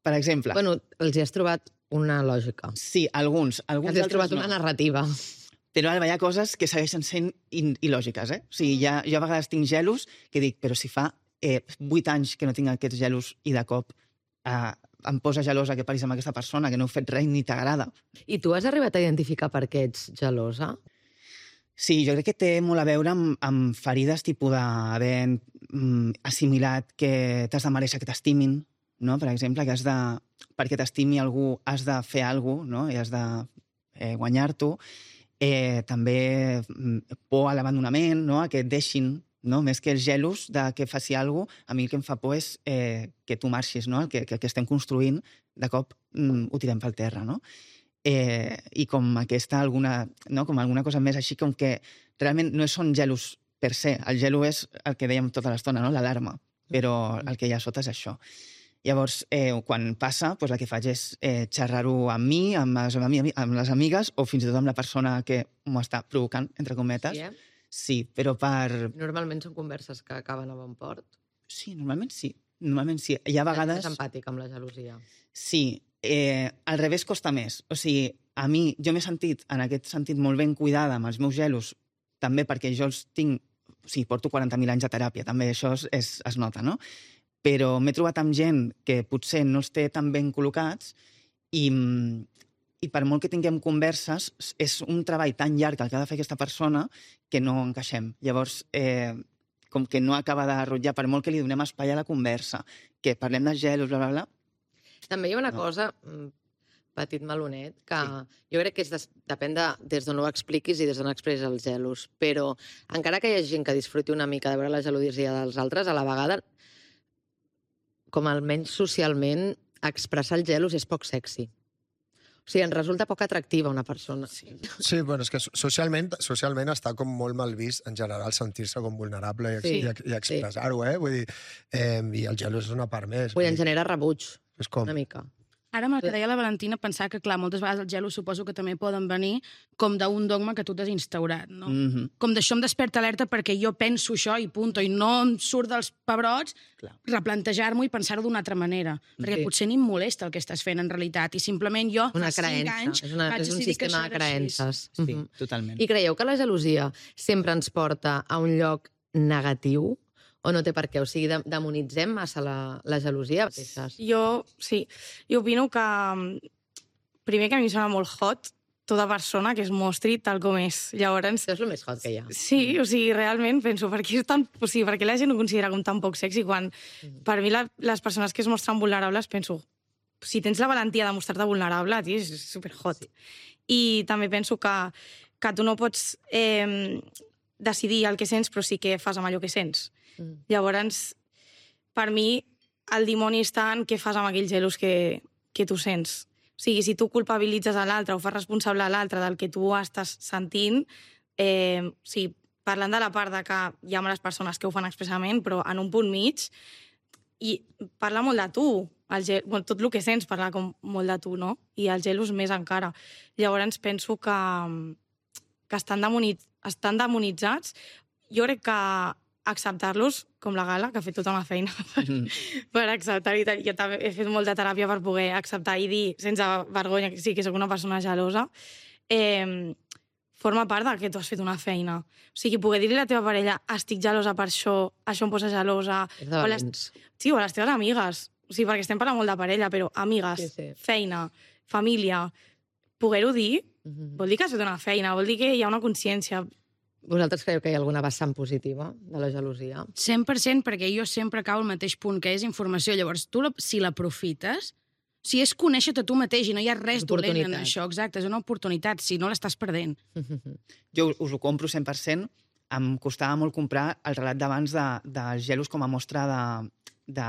Per exemple... Bueno, els hi has trobat una lògica. Sí, alguns. alguns Els hi has trobat no. una narrativa. Però Alba, hi ha coses que segueixen sent il·lògiques, eh? O sigui, ja, jo a vegades tinc gelos que dic, però si fa eh, vuit anys que no tinc aquests gelos i de cop eh, em posa gelosa que paris amb aquesta persona, que no heu fet res ni t'agrada. I tu has arribat a identificar per què ets gelosa? Sí, jo crec que té molt a veure amb, amb ferides tipus d'haver mm, assimilat que t'has de mereixer que t'estimin, no? Per exemple, que has de... perquè t'estimi algú has de fer alguna cosa, no? I has de eh, guanyar-t'ho. Eh, també por a l'abandonament, no? A que et deixin, no? Més que els gelos de que faci alguna cosa, a mi el que em fa por és eh, que tu marxis, no? El que, que, que estem construint, de cop mm, ho tirem pel terra, no? Eh, I com aquesta alguna, no? Com alguna cosa més així, com que realment no són gelos per se, el gelo és el que dèiem tota l'estona, no? L'alarma, però el que hi ha sota és això. Llavors, eh, quan passa, doncs el que faig és eh, xerrar-ho amb mi, amb les, amb les amigues, o fins i tot amb la persona que m'ho està provocant, entre cometes. Sí, eh? Sí, però per... Normalment són converses que acaben a bon port. Sí, normalment sí. Normalment sí. Hi ha vegades... És empàtic amb la gelosia. Sí. Eh, al revés costa més. O sigui, a mi, jo m'he sentit, en aquest sentit, molt ben cuidada amb els meus gelos, també perquè jo els tinc... O sigui, porto quaranta mil anys de teràpia, també això es, es, es nota, no? Però m'he trobat amb gent que potser no els té tan ben col·locats i, i per molt que tinguem converses, és un treball tan llarg el que ha de fer aquesta persona que no encaixem. Llavors, eh, com que no acaba de rotllar, per molt que li donem espai a la conversa, que parlem de gelos, bla, bla, bla... També hi ha una No. cosa, petit melonet, que Sí. jo crec que és des, depèn de des d'on ho expliquis i des d'on expressis els gelos, però encara que hi hagi gent que disfruti una mica de veure la gelosia dels altres, a la vegada com almenys socialment, expressar els gelos és poc sexy. O sigui, ens resulta poc atractiva una persona. Sí. Sí, bueno, és que socialment, socialment està com molt mal vist, en general, sentir-se com vulnerable i, Sí, i, i expressar-ho, eh? Vull dir, eh, i el gelo és una part més. Vull dir, Vull en dir, genera rebuig, és com... una mica. Ara, amb el que deia la Valentina, pensar que, clar, moltes vegades els gelos suposo que també poden venir com d'un dogma que tu t'has instaurat, no? Mm -hmm. Com d'això em desperta alerta perquè jo penso això i punto, i no em surt dels pebrots Clar. replantejar-m'ho i pensar-ho d'una altra manera. Perquè Sí. potser ni em molesta el que estàs fent en realitat i simplement jo Una fa cinc creença, anys és, una, vaig és un decidir que sistema això de era així. creences. Sí, Mhm. totalment. I creieu que la gelosia sempre ens porta a un lloc negatiu o no té per què? O sigui, de- demonitzem massa la, la gelosia? Jo, sí, jo opino que primer que a mi em sembla molt hot tota persona que es mostri tal com és. Llavors, Això és el més hot que hi ha. sí, o sigui, realment penso, per què, és tan, o sigui, per què la gent ho considera com tan poc sexy quan per mi la, les persones que es mostren vulnerables penso, si tens la valentia de mostrar-te vulnerable, tio, és super hot. Sí. I també penso que, que tu no pots eh, decidir el que sents, però sí que fas amb allò que sents. Mm. Llavors, per mi, el dimoni està en què fas amb aquells gelos que, que tu sents. O sigui, si tu culpabilitzes a l'altre o fas responsable a l'altre del que tu estàs sentint, eh, o sigui, parlant de la part de que hi ha males persones que ho fan expressament, però en un punt mig, i parla molt de tu. El gel, bueno, tot el que sents parla com molt de tu, no? I els gelos més encara. Llavors penso que, que estan, demoniz, estan demonitzats. Jo crec que acceptar-los, com la Gala, que ha fet tota una feina per, mm. per acceptar-hi. Jo també he fet molta teràpia per poder acceptar i dir, sense vergonya, que sí, que sóc una persona gelosa, eh, forma part de que tu has fet una feina. O sigui, poder dir-li a la teva parella estic gelosa per això, això em posa gelosa... O a les, sí, o a les teves amigues. O sigui, perquè estem parlant molt de parella, però amigues, sí, sí. feina, família, poder-ho dir, mm-hmm. vol dir que has fet una feina, vol dir que hi ha una consciència. Vosaltres creieu que hi ha alguna vessant positiva de la gelosia? cent per cent, perquè jo sempre cau al mateix punt, que és informació. Llavors, tu, la, si l'aprofites, si és conèixer-te tu mateix i no hi ha res dolent en això, exacte, és una oportunitat, si no l'estàs perdent. Jo us ho compro cent per cent. Em costava molt comprar el relat d'abans de, dels gelos com a mostra de, de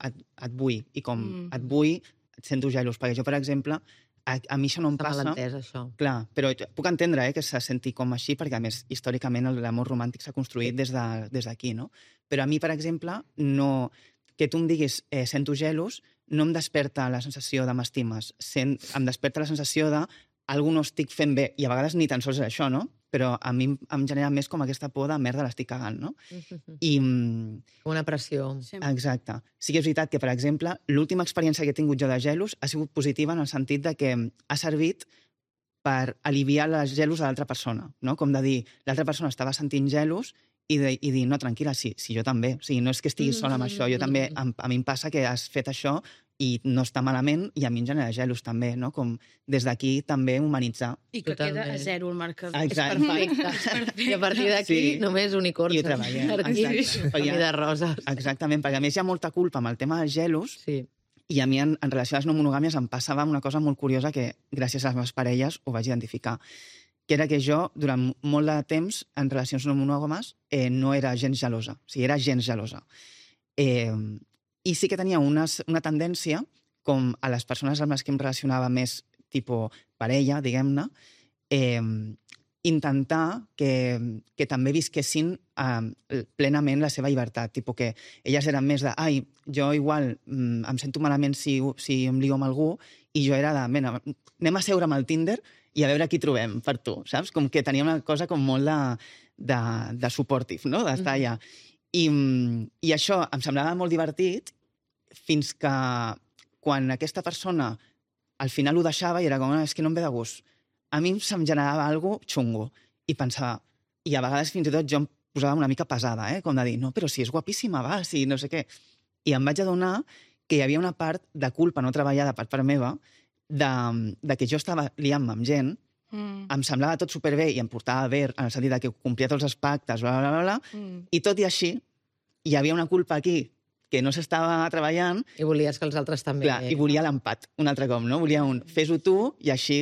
et, et vull, i com mm. et vull, et sento gelos, perquè jo, per exemple, a, a mi això no em Està passa. mal entès, això. Clar, però puc entendre eh, que se senti com així, perquè a més, històricament, l'amor romàntic s'ha construït des d'aquí, de, des no? Però a mi, per exemple, no... que tu em diguis eh, sento gelos, no em desperta la sensació de m'estimes, Sent... em desperta la sensació de algú no estic fent bé, i a vegades ni tan sols és això, no? Però a mi em genera més com aquesta por de merda, l'estic cagant, no? Mm-hmm. I... Una pressió. Exacte. Sí que és veritat que, per exemple, l'última experiència que he tingut jo de gelos ha sigut positiva en el sentit de que ha servit per aliviar els gelos de l'altra persona, no? Com de dir, l'altra persona estava sentint gelos i, de, i dir, no, tranquil·la, sí, sí, jo també. O sigui, no és que estiguis sola amb això, jo també, a, a mi em passa que has fet això i no està malament, i a mi em genera gelos també, no? Com des d'aquí també humanitzar. I que Totalment. Queda a zero el marcador. Exacte. És perfecte. I a partir d'aquí sí. només unicorns. I treballem. Per aquí, família de roses. Exactament, perquè a més hi ha molta culpa amb el tema dels gelos, sí. i a mi en, en relació a les no monogàmies em passava una cosa molt curiosa que gràcies a les meves parelles ho vaig identificar, que era que jo, durant molt de temps, en relacions no monògames, eh, no era gens gelosa. O sigui, era gens gelosa. Eh, I sí que tenia unes, una tendència, com a les persones amb les que em relacionava més tipus parella, diguem-ne, eh, intentar que, que també visquessin eh, plenament la seva llibertat. Tipus que elles eren més de, ai, jo igual mm, em sento malament si, si em lio amb algú, i jo era de, mena, anem a seure amb el Tinder i a veure qui trobem per tu, saps? Com que tenia una cosa com molt de, de, de supportive, no? D'estar allà. I, I això em semblava molt divertit fins que quan aquesta persona al final ho deixava i era com, és que no em ve de gust. A mi se'm generava alguna cosa xungo i pensava, i a vegades fins i tot jo em posava una mica pesada, eh? Com de dir, no, però si és guapíssima, va, si no sé què. I em vaig adonar que hi havia una part de culpa no treballada per part meva de, de que jo estava liant-me amb gent, mm. em semblava tot superbé i em portava bé en el sentit de que complia tots els pactes, bla, bla, bla, bla, mm. i tot i així hi havia una culpa aquí que no s'estava treballant. I volies que els altres també... Clar, i volia l'empat, un altre cop, no? Volia un fes-ho tu i així...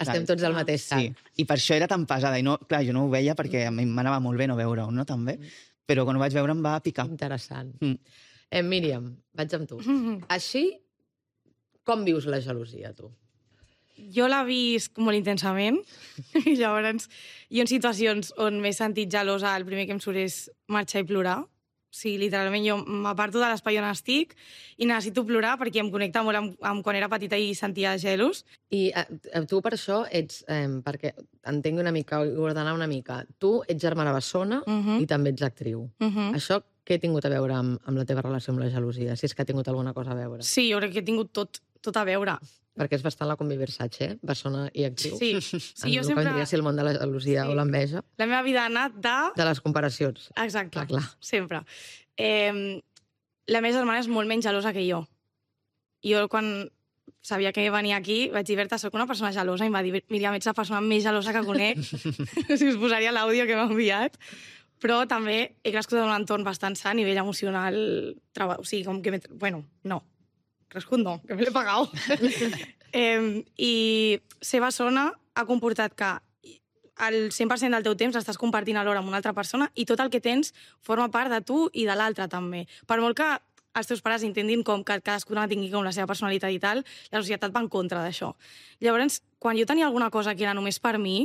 Estem tots al mateix sac. Sí, i per això era tan pesada. I no, clar, jo no ho veia perquè a mi m'anava molt bé no veure-ho, no? També. Però quan ho vaig veure em va picar. Interessant. Mm. Eh, Míriam, vaig amb tu. Així, com vius la gelosia, tu? Jo l'he vist molt intensament, i llavors jo en situacions on m'he sentit gelosa, el primer que em surt és marxar i plorar. O sigui, literalment jo m'aparto de l'espai on estic i necessito plorar perquè em connecta molt amb, amb quan era petita i sentia gelos. I eh, tu per això ets, eh, perquè entenc una mica, ordenar una mica, tu ets germana bessona uh -huh. i també ets actriu. Uh -huh. Això què ha tingut a veure amb, amb la teva relació amb la gelosia, si és que ha tingut alguna cosa a veure? Sí, jo crec que he tingut tot, tot a veure. Perquè és bastant la Combi Versace, eh? Bessona i actriu. Sí, sí en jo el sempre... que vendria a ser el món de la gelosia Sí. o l'enveja. La meva vida ha anat de... De les comparacions. Exacte, Clar, clar. sempre. Eh, la meva germana és molt menys gelosa que jo. Jo, quan sabia que venia aquí, vaig dir, Berta, soc una persona gelosa, i em va dir, Míriam, ets la persona més gelosa que conec. Si us posaria l'àudio que m'ha enviat. Però també he crescut en un entorn bastant sa a nivell emocional. Treba... O sigui, com que... Bueno, no. Crescut no, que me l'he pagat. eh, I ser bessona ha comportat que el cent per cent del teu temps l'estàs compartint alhora amb una altra persona i tot el que tens forma part de tu i de l'altre també. Per molt que els teus pares intentin com que cadascuna tingui com la seva personalitat i tal, la societat va en contra d'això. Llavors, quan jo tenia alguna cosa que era només per mi,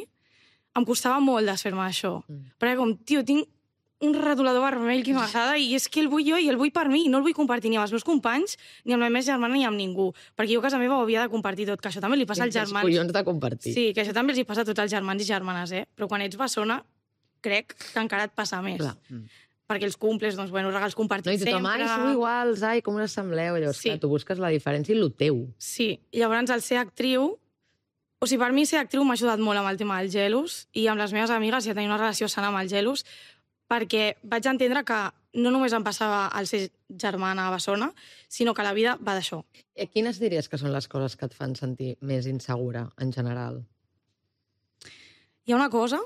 em costava molt desfer-me d'això. Mm. Perquè com, tio, tinc un retolador vermell que m'agrada i és que el vull jo i el vull per mi, no el vull compartir ni amb els meus companys, ni amb la meva germana, ni amb ningú. Perquè jo a casa meva ho havia de compartir tot, que això també li passa als germans. Els collons de compartir. Sí, que això també els hi passa a tots els germans i germanes, eh? Però quan ets bessona, crec que encara et passa més. Clar. Perquè els cumples, doncs, bueno, regals compartits No, i tothom, sempre... ai, sou iguals, ai, com us assembleu? Llavors, Sí. clar, tu busques la diferència i el teu. Sí, llavors el ser actriu... O sigui, per mi ser actriu m'ha ajudat molt amb el tema del gelos i amb les meves amigues ja tenia una relació sana amb el gelos perquè vaig entendre que no només em passava al ser germana bessona, sinó que la vida va d'això. Eh, Quines diries que són les coses que et fan sentir més insegura, en general? Hi ha una cosa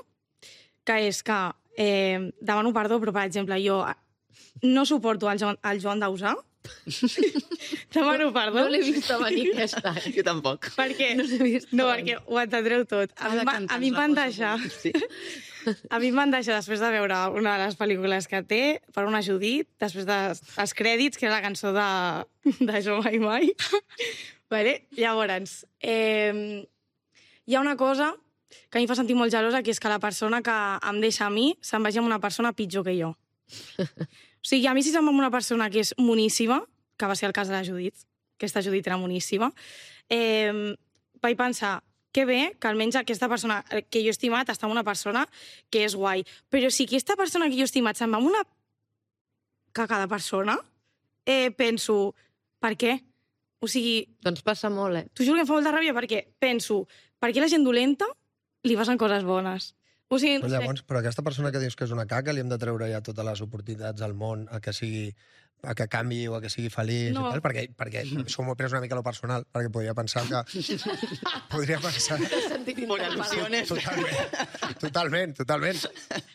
que és que eh, demano perdó, però, per exemple, jo no suporto el Joan, el Joan Dausà. Demano perdó. No l'he vist a venir aquest any. Jo tampoc. Perquè, No l'he vist no, a venir. perquè ho entendreu tot. A mi, em va- a mi em van deixar... Sí. A mi em van deixar, després de veure una de les pel·lícules que té, per una Judit, després dels de, crèdits, que era la cançó de, de Jo Mai Mai. Vale? Llavors, eh, hi ha una cosa que a mi em fa sentir molt gelosa, que és que la persona que em deixa a mi se'n vagi amb una persona pitjor que jo. O sigui, a mi si se'n va amb una persona que és moníssima, que va ser el cas de la Judit, aquesta Judit era moníssima, eh, vaig pensar, que bé que almenys aquesta persona que jo he estimat està amb una persona que és guai. Però si aquesta persona que jo he estimat se'n va amb una cagada persona, eh, penso, per què? O sigui, Doncs passa molt, eh? t'ho juro que em fa molta ràbia perquè penso, per què la gent dolenta li passen coses bones? O sigui, no Però, sé. llavors, però aquesta persona que dius que és una caca li hem de treure ja totes les oportunitats al món a que sigui a que canvi o a que sigui feliç No. i tal, perquè, perquè això m'ho he pres una mica a lo personal, perquè podria pensar que... podria pensar... Por al·lusiones. Totalment, totalment, totalment.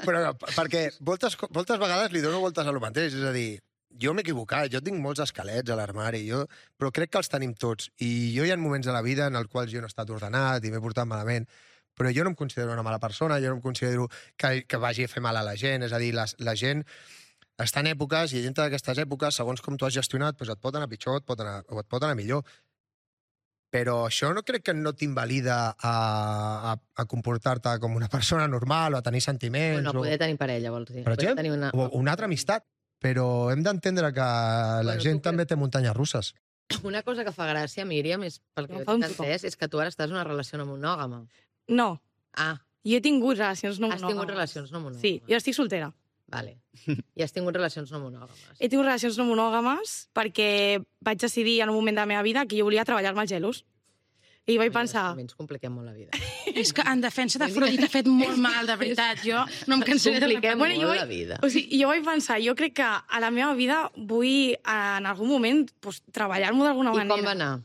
Però perquè moltes, co- moltes vegades li dono voltes a lo mateix, és a dir, jo m'he equivocat, jo tinc molts esquelets a l'armari, jo, però crec que els tenim tots. I jo hi ha moments de la vida en els quals jo no he estat ordenat i m'he portat malament, però jo no em considero una mala persona, jo no em considero que, que vagi a fer mal a la gent, és a dir, la, la gent està en èpoques i dintre d'aquestes èpoques, segons com tu has gestionat, doncs et pot anar pitjor et pot anar, o et pot anar millor. Però això no crec que no t'invalida a, a, a comportar-te com una persona normal o a tenir sentiments. Bueno, o, poder tenir parella, vols dir. per Poder exemple, tenir una... o una altra amistat. Però hem d'entendre que la Bueno, gent tu també té muntanyes russes. Una cosa que fa gràcia, Míriam, és, pel que Em jo fa un t'he entès, és que tu ara estàs en una relació no monògama. No, Ah, jo he tingut relacions no has monògames. tingut relacions no monògames. Sí, jo estic soltera. Vale. I has tingut relacions no monògames. He tingut relacions no monògames perquè vaig decidir en un moment de la meva vida que jo volia treballar-me els gelos. I vaig pensar... També ens compliquem molt la vida. És que en defensa d'Afrodit ha fet molt mal, de veritat. Jo no em cansaré de Compliquem Bueno, molt jo la vaig- vida. O sigui, jo vaig pensar, jo crec que a la meva vida vull en algun moment pues, treballar-m'ho d'alguna I manera. com va anar?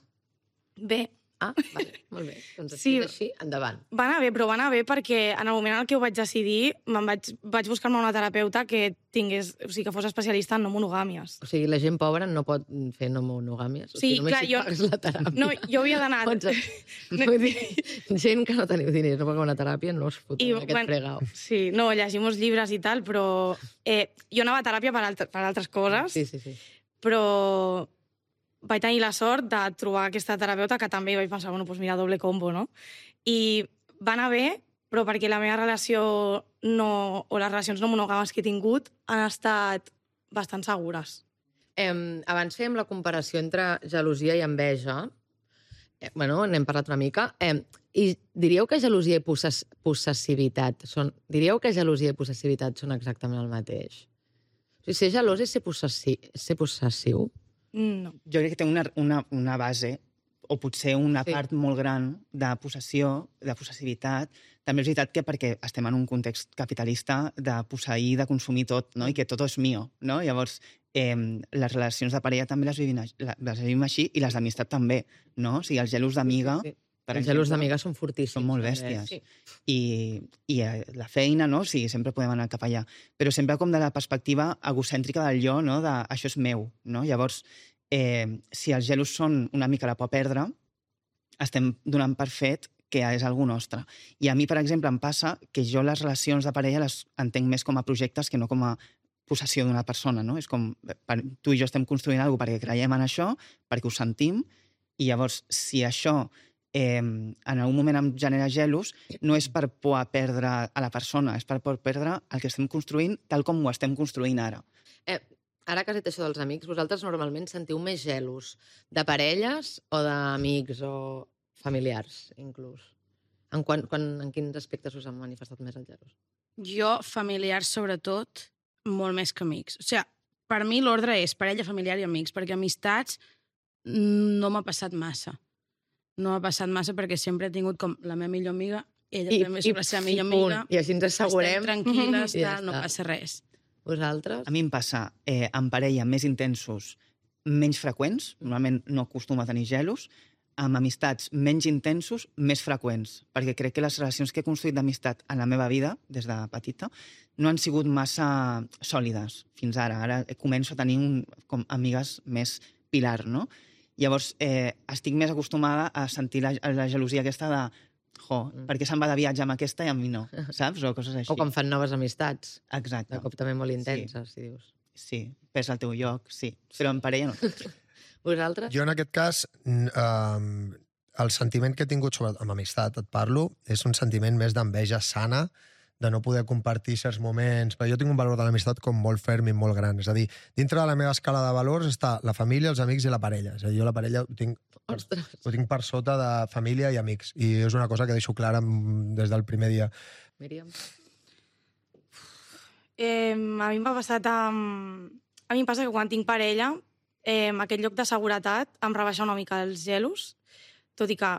Bé, Ah, vale, molt bé. Doncs Sí. sí. així, endavant. va anar bé, però va anar bé perquè en el moment en què ho vaig decidir me'n vaig, vaig buscar-me una terapeuta que tingués, o sigui, que fos especialista en no monogàmies. O sigui, la gent pobra no pot fer no monogàmies. O Sí, sigui, només clar, si jo- pagues la teràpia. No, jo havia d'anar... Pots... Vull dir, gent que no teniu diners, no paga una teràpia, no us fotem I, aquest bueno, fregau. Sí, no, llegir molts llibres i tal, però eh, jo anava a teràpia per, altre, per altres coses, Sí, sí, sí. però vaig tenir la sort de trobar aquesta terapeuta que també vaig pensar, bueno, doncs mira, doble combo, no? I va anar bé, però perquè la meva relació no, o les relacions no monògames que he tingut han estat bastant segures. Eh, abans fèiem la comparació entre gelosia i enveja. Eh, bueno, n'hem parlat una mica. Eh, I diríeu que gelosia i possess possessivitat són... Diríeu que gelosia i possessivitat són exactament el mateix? O sigui, ser gelós és ser, possessi ser possessiu? No. Jo crec que té una, una, una base o potser una Sí. part molt gran de possessió, de possessivitat. També és veritat que perquè estem en un context capitalista de posseir, de consumir tot, no? I que tot és mío, no? Llavors, eh, les relacions de parella també les vivim, aix- la- les vivim així i les d'amistat també, no? O sigui, els gelos d'amiga, Sí, sí. per Els gelos exemple, d'amigues són fortíssims. són molt també. bèsties. Sí. I, i eh, la feina, no? Sí, sempre podem anar cap allà. Però sempre com de la perspectiva egocèntrica del jo, no? De això és meu, no? Llavors, eh, si els gelos són una mica la por a perdre, estem donant per fet que és algú nostre. I a mi, per exemple, em passa que jo les relacions de parella les entenc més com a projectes que no com a possessió d'una persona, no? És com, per, tu i jo estem construint alguna cosa perquè creiem en això, perquè ho sentim, i llavors, si això eh, en algun moment em genera gelos, no és per por a perdre a la persona, és per por a perdre el que estem construint tal com ho estem construint ara. Eh, ara que has dit això dels amics, vosaltres normalment sentiu més gelos de parelles o d'amics o familiars, inclús? En, quan, quan, en quins aspectes us han manifestat més els gelos? Jo, familiars sobretot, molt més que amics. O sigui, per mi l'ordre és parella, familiar i amics, perquè amistats no m'ha passat massa. No m'ha passat massa perquè sempre he tingut com la meva millor amiga, ella I, també és la seva millor punt. amiga. I així ens assegurem. Estem tranquil·les, I ja tal, no està. passa res. Vosaltres? A mi em passa eh, en parella més intensos, menys freqüents, normalment no acostumo a tenir gelos, amb amistats menys intensos, més freqüents, perquè crec que les relacions que he construït d'amistat en la meva vida, des de petita, no han sigut massa sòlides fins ara. Ara començo a tenir un, com amigues més pilar, no? Llavors, eh, estic més acostumada a sentir la, la gelosia aquesta de jo, Mm. per què se'n va de viatge amb aquesta i amb mi no, saps? O coses així. O quan fan noves amistats, Exacte. de cop també molt intenses, si dius. Sí, pes al teu lloc, sí. Però en parella no. Vosaltres? Jo, en aquest cas, n- eh, el sentiment que he tingut sobre, amb amistat, et parlo, és un sentiment més d'enveja sana, de no poder compartir certs moments, perquè jo tinc un valor de l'amistat com molt ferm i molt gran. És a dir, dintre de la meva escala de valors està la família, els amics i la parella. És a dir, jo la parella ho tinc, per, Ostres. ho tinc per sota de família i amics. I és una cosa que deixo clara mm, des del primer dia. Míriam? Eh, a mi m'ha passat amb... A mi em passa que quan tinc parella, eh, aquest lloc de seguretat em rebaixa una mica els gelos, tot i que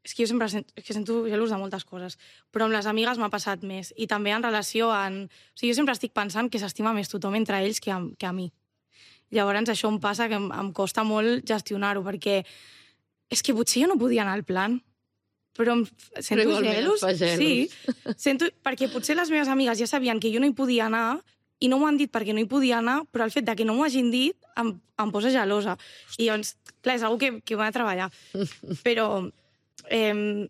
és que jo sempre sento, és que sento gelos de moltes coses, però amb les amigues m'ha passat més. I també en relació en... O sigui, jo sempre estic pensant que s'estima més tothom entre ells que a, que a mi. Llavors això em passa que em, em costa molt gestionar-ho, perquè és que potser jo no podia anar al plan, però em sento igualment et gelos. fa gelos. Sí, sento, perquè potser les meves amigues ja sabien que jo no hi podia anar i no m'ho han dit perquè no hi podia anar, però el fet de que no m'ho hagin dit em, em posa gelosa. I llavors, clar, és una que, que ho he de treballar. Però eh,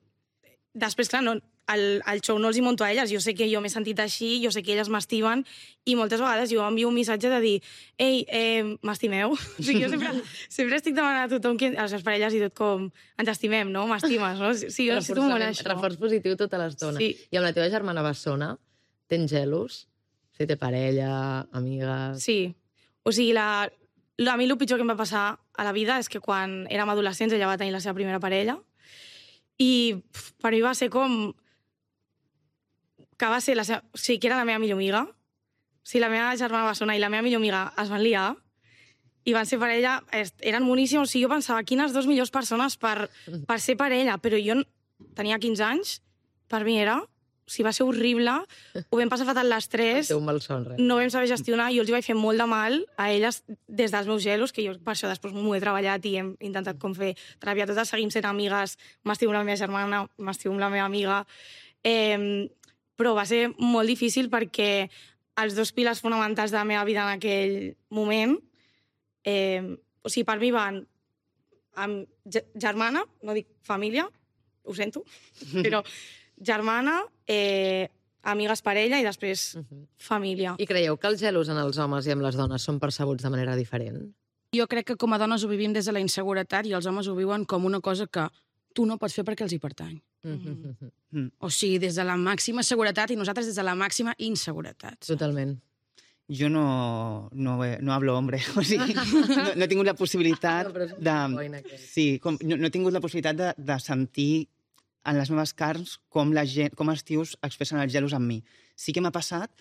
després, clar, no, el, el show no els hi monto a elles. Jo sé que jo m'he sentit així, jo sé que elles m'estimen i moltes vegades jo envio un missatge de dir ei, eh, m'estimeu? O sigui, jo sempre, sempre estic demanant a tothom, que, a les seves parelles i tot, com ens estimem, no? M'estimes, no? Sí, jo necessito molt això. Reforç positiu tota l'estona. Sí. I amb la teva germana bessona, tens gelos? Si té parella, amigues... Sí. O sigui, la, la, a mi el pitjor que em va passar a la vida és que quan érem adolescents ella va tenir la seva primera parella i pf, per mi va ser com... que va ser la seva... O sigui, que era la meva millor amiga. O sigui, la meva germana bessona i la meva millor amiga es van liar i van ser parella, eren boníssims. O sigui, jo pensava, quines dues millors persones per, per ser parella, però jo tenia quinze anys, per mi era... O sigui, va ser horrible, ho vam passar fatal les tres, Té un mal son, res. no vam saber gestionar, i jo els hi vaig fer molt de mal a elles des dels meus gelos, que jo per això després m'ho he treballat i hem intentat com fer teràpia totes, seguim sent amigues, m'estimo amb la meva germana, m'estimo amb la meva amiga, eh, però va ser molt difícil perquè els dos pilars fonamentals de la meva vida en aquell moment, eh, o sigui, per mi van amb germana, no dic família, ho sento, però germana, eh, amigues parella i després Uh -huh. família. I creieu que els gelos en els homes i amb les dones són percebuts de manera diferent? Jo crec que com a dones ho vivim des de la inseguretat i els homes ho viuen com una cosa que tu no pots fer perquè els hi pertany. Mm. O sigui, des de la màxima seguretat i nosaltres des de la màxima inseguretat. Totalment. Jo no, no, he- no hablo hombre, o sigui, no, no he tingut la possibilitat No, però és un de... boina, aquest. Sí, com, no, no he tingut la possibilitat de, de sentir en les meves carns com, la gent, com els tios expressen els gelos amb mi. Sí que m'ha passat,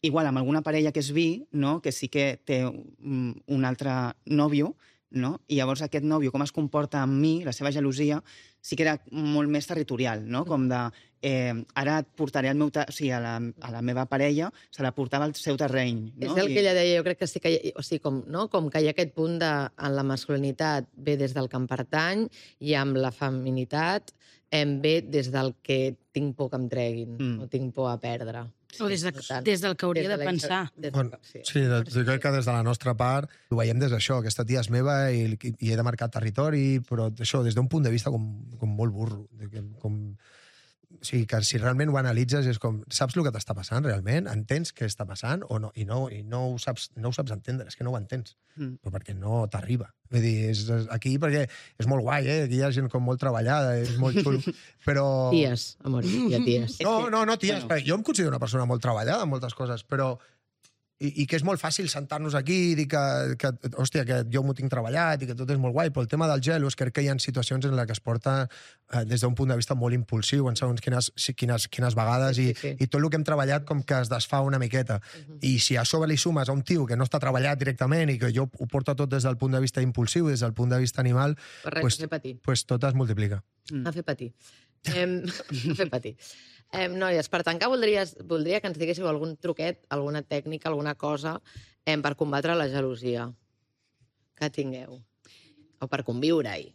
igual amb alguna parella que és bi, no? Que sí que té un, un altre nòvio, no? I llavors aquest nòvio, com es comporta amb mi, la seva gelosia, sí que era molt més territorial, no? Com de, eh, ara et portaré al meu... O sigui, a la, a la meva parella se la portava al seu terreny, no? És el I... que ella deia, jo crec que sí que hi ha, o sigui, com, no? com que hi ha aquest punt de, en la masculinitat ve des del que em pertany i amb la feminitat em ve des del que tinc por que em treguin, mm. o tinc por a perdre. O des, de, Per tant, des del que hauria des de la- pensar. des- Bueno, sí. sí, de, jo crec que des de la nostra part ho veiem des d'això, aquesta tia és meva i, i he de marcar territori, però això des d'un punt de vista com, com molt burro. de que- Com, o sigui, que si realment ho analitzes és com, saps el que t'està passant realment? Entens què està passant o no? I no, i no, ho, saps, no ho saps entendre, és que no ho entens, Mm. però perquè no t'arriba. Vull dir, és, és aquí perquè és molt guai, eh? Aquí hi ha gent com molt treballada, és molt xulo, però... Ties, amor, hi ha ties. No, no, no, ties, Bueno. bueno. jo em considero una persona molt treballada en moltes coses, però... I, i que és molt fàcil sentar-nos aquí i dir que, que, hòstia, que jo m'ho tinc treballat i que tot és molt guai, però el tema del gelos crec que hi ha situacions en les que es porta eh, des d'un punt de vista molt impulsiu en segons quines, sí, quines, quines vegades Sí, i, sí, sí. i tot el que hem treballat com que es desfà una miqueta. Mhm. I si a sobre li sumes a un tio que no està treballat directament i que jo ho porto tot des del punt de vista impulsiu, des del punt de vista animal, Per res, pues- a fer patir. pues tot es multiplica. Mm. A fer patir. Em, a fer patir. Em, noies, per tancar, voldries, voldria que ens diguéssiu algun truquet, alguna tècnica, alguna cosa em, per combatre la gelosia que tingueu. O per conviure-hi.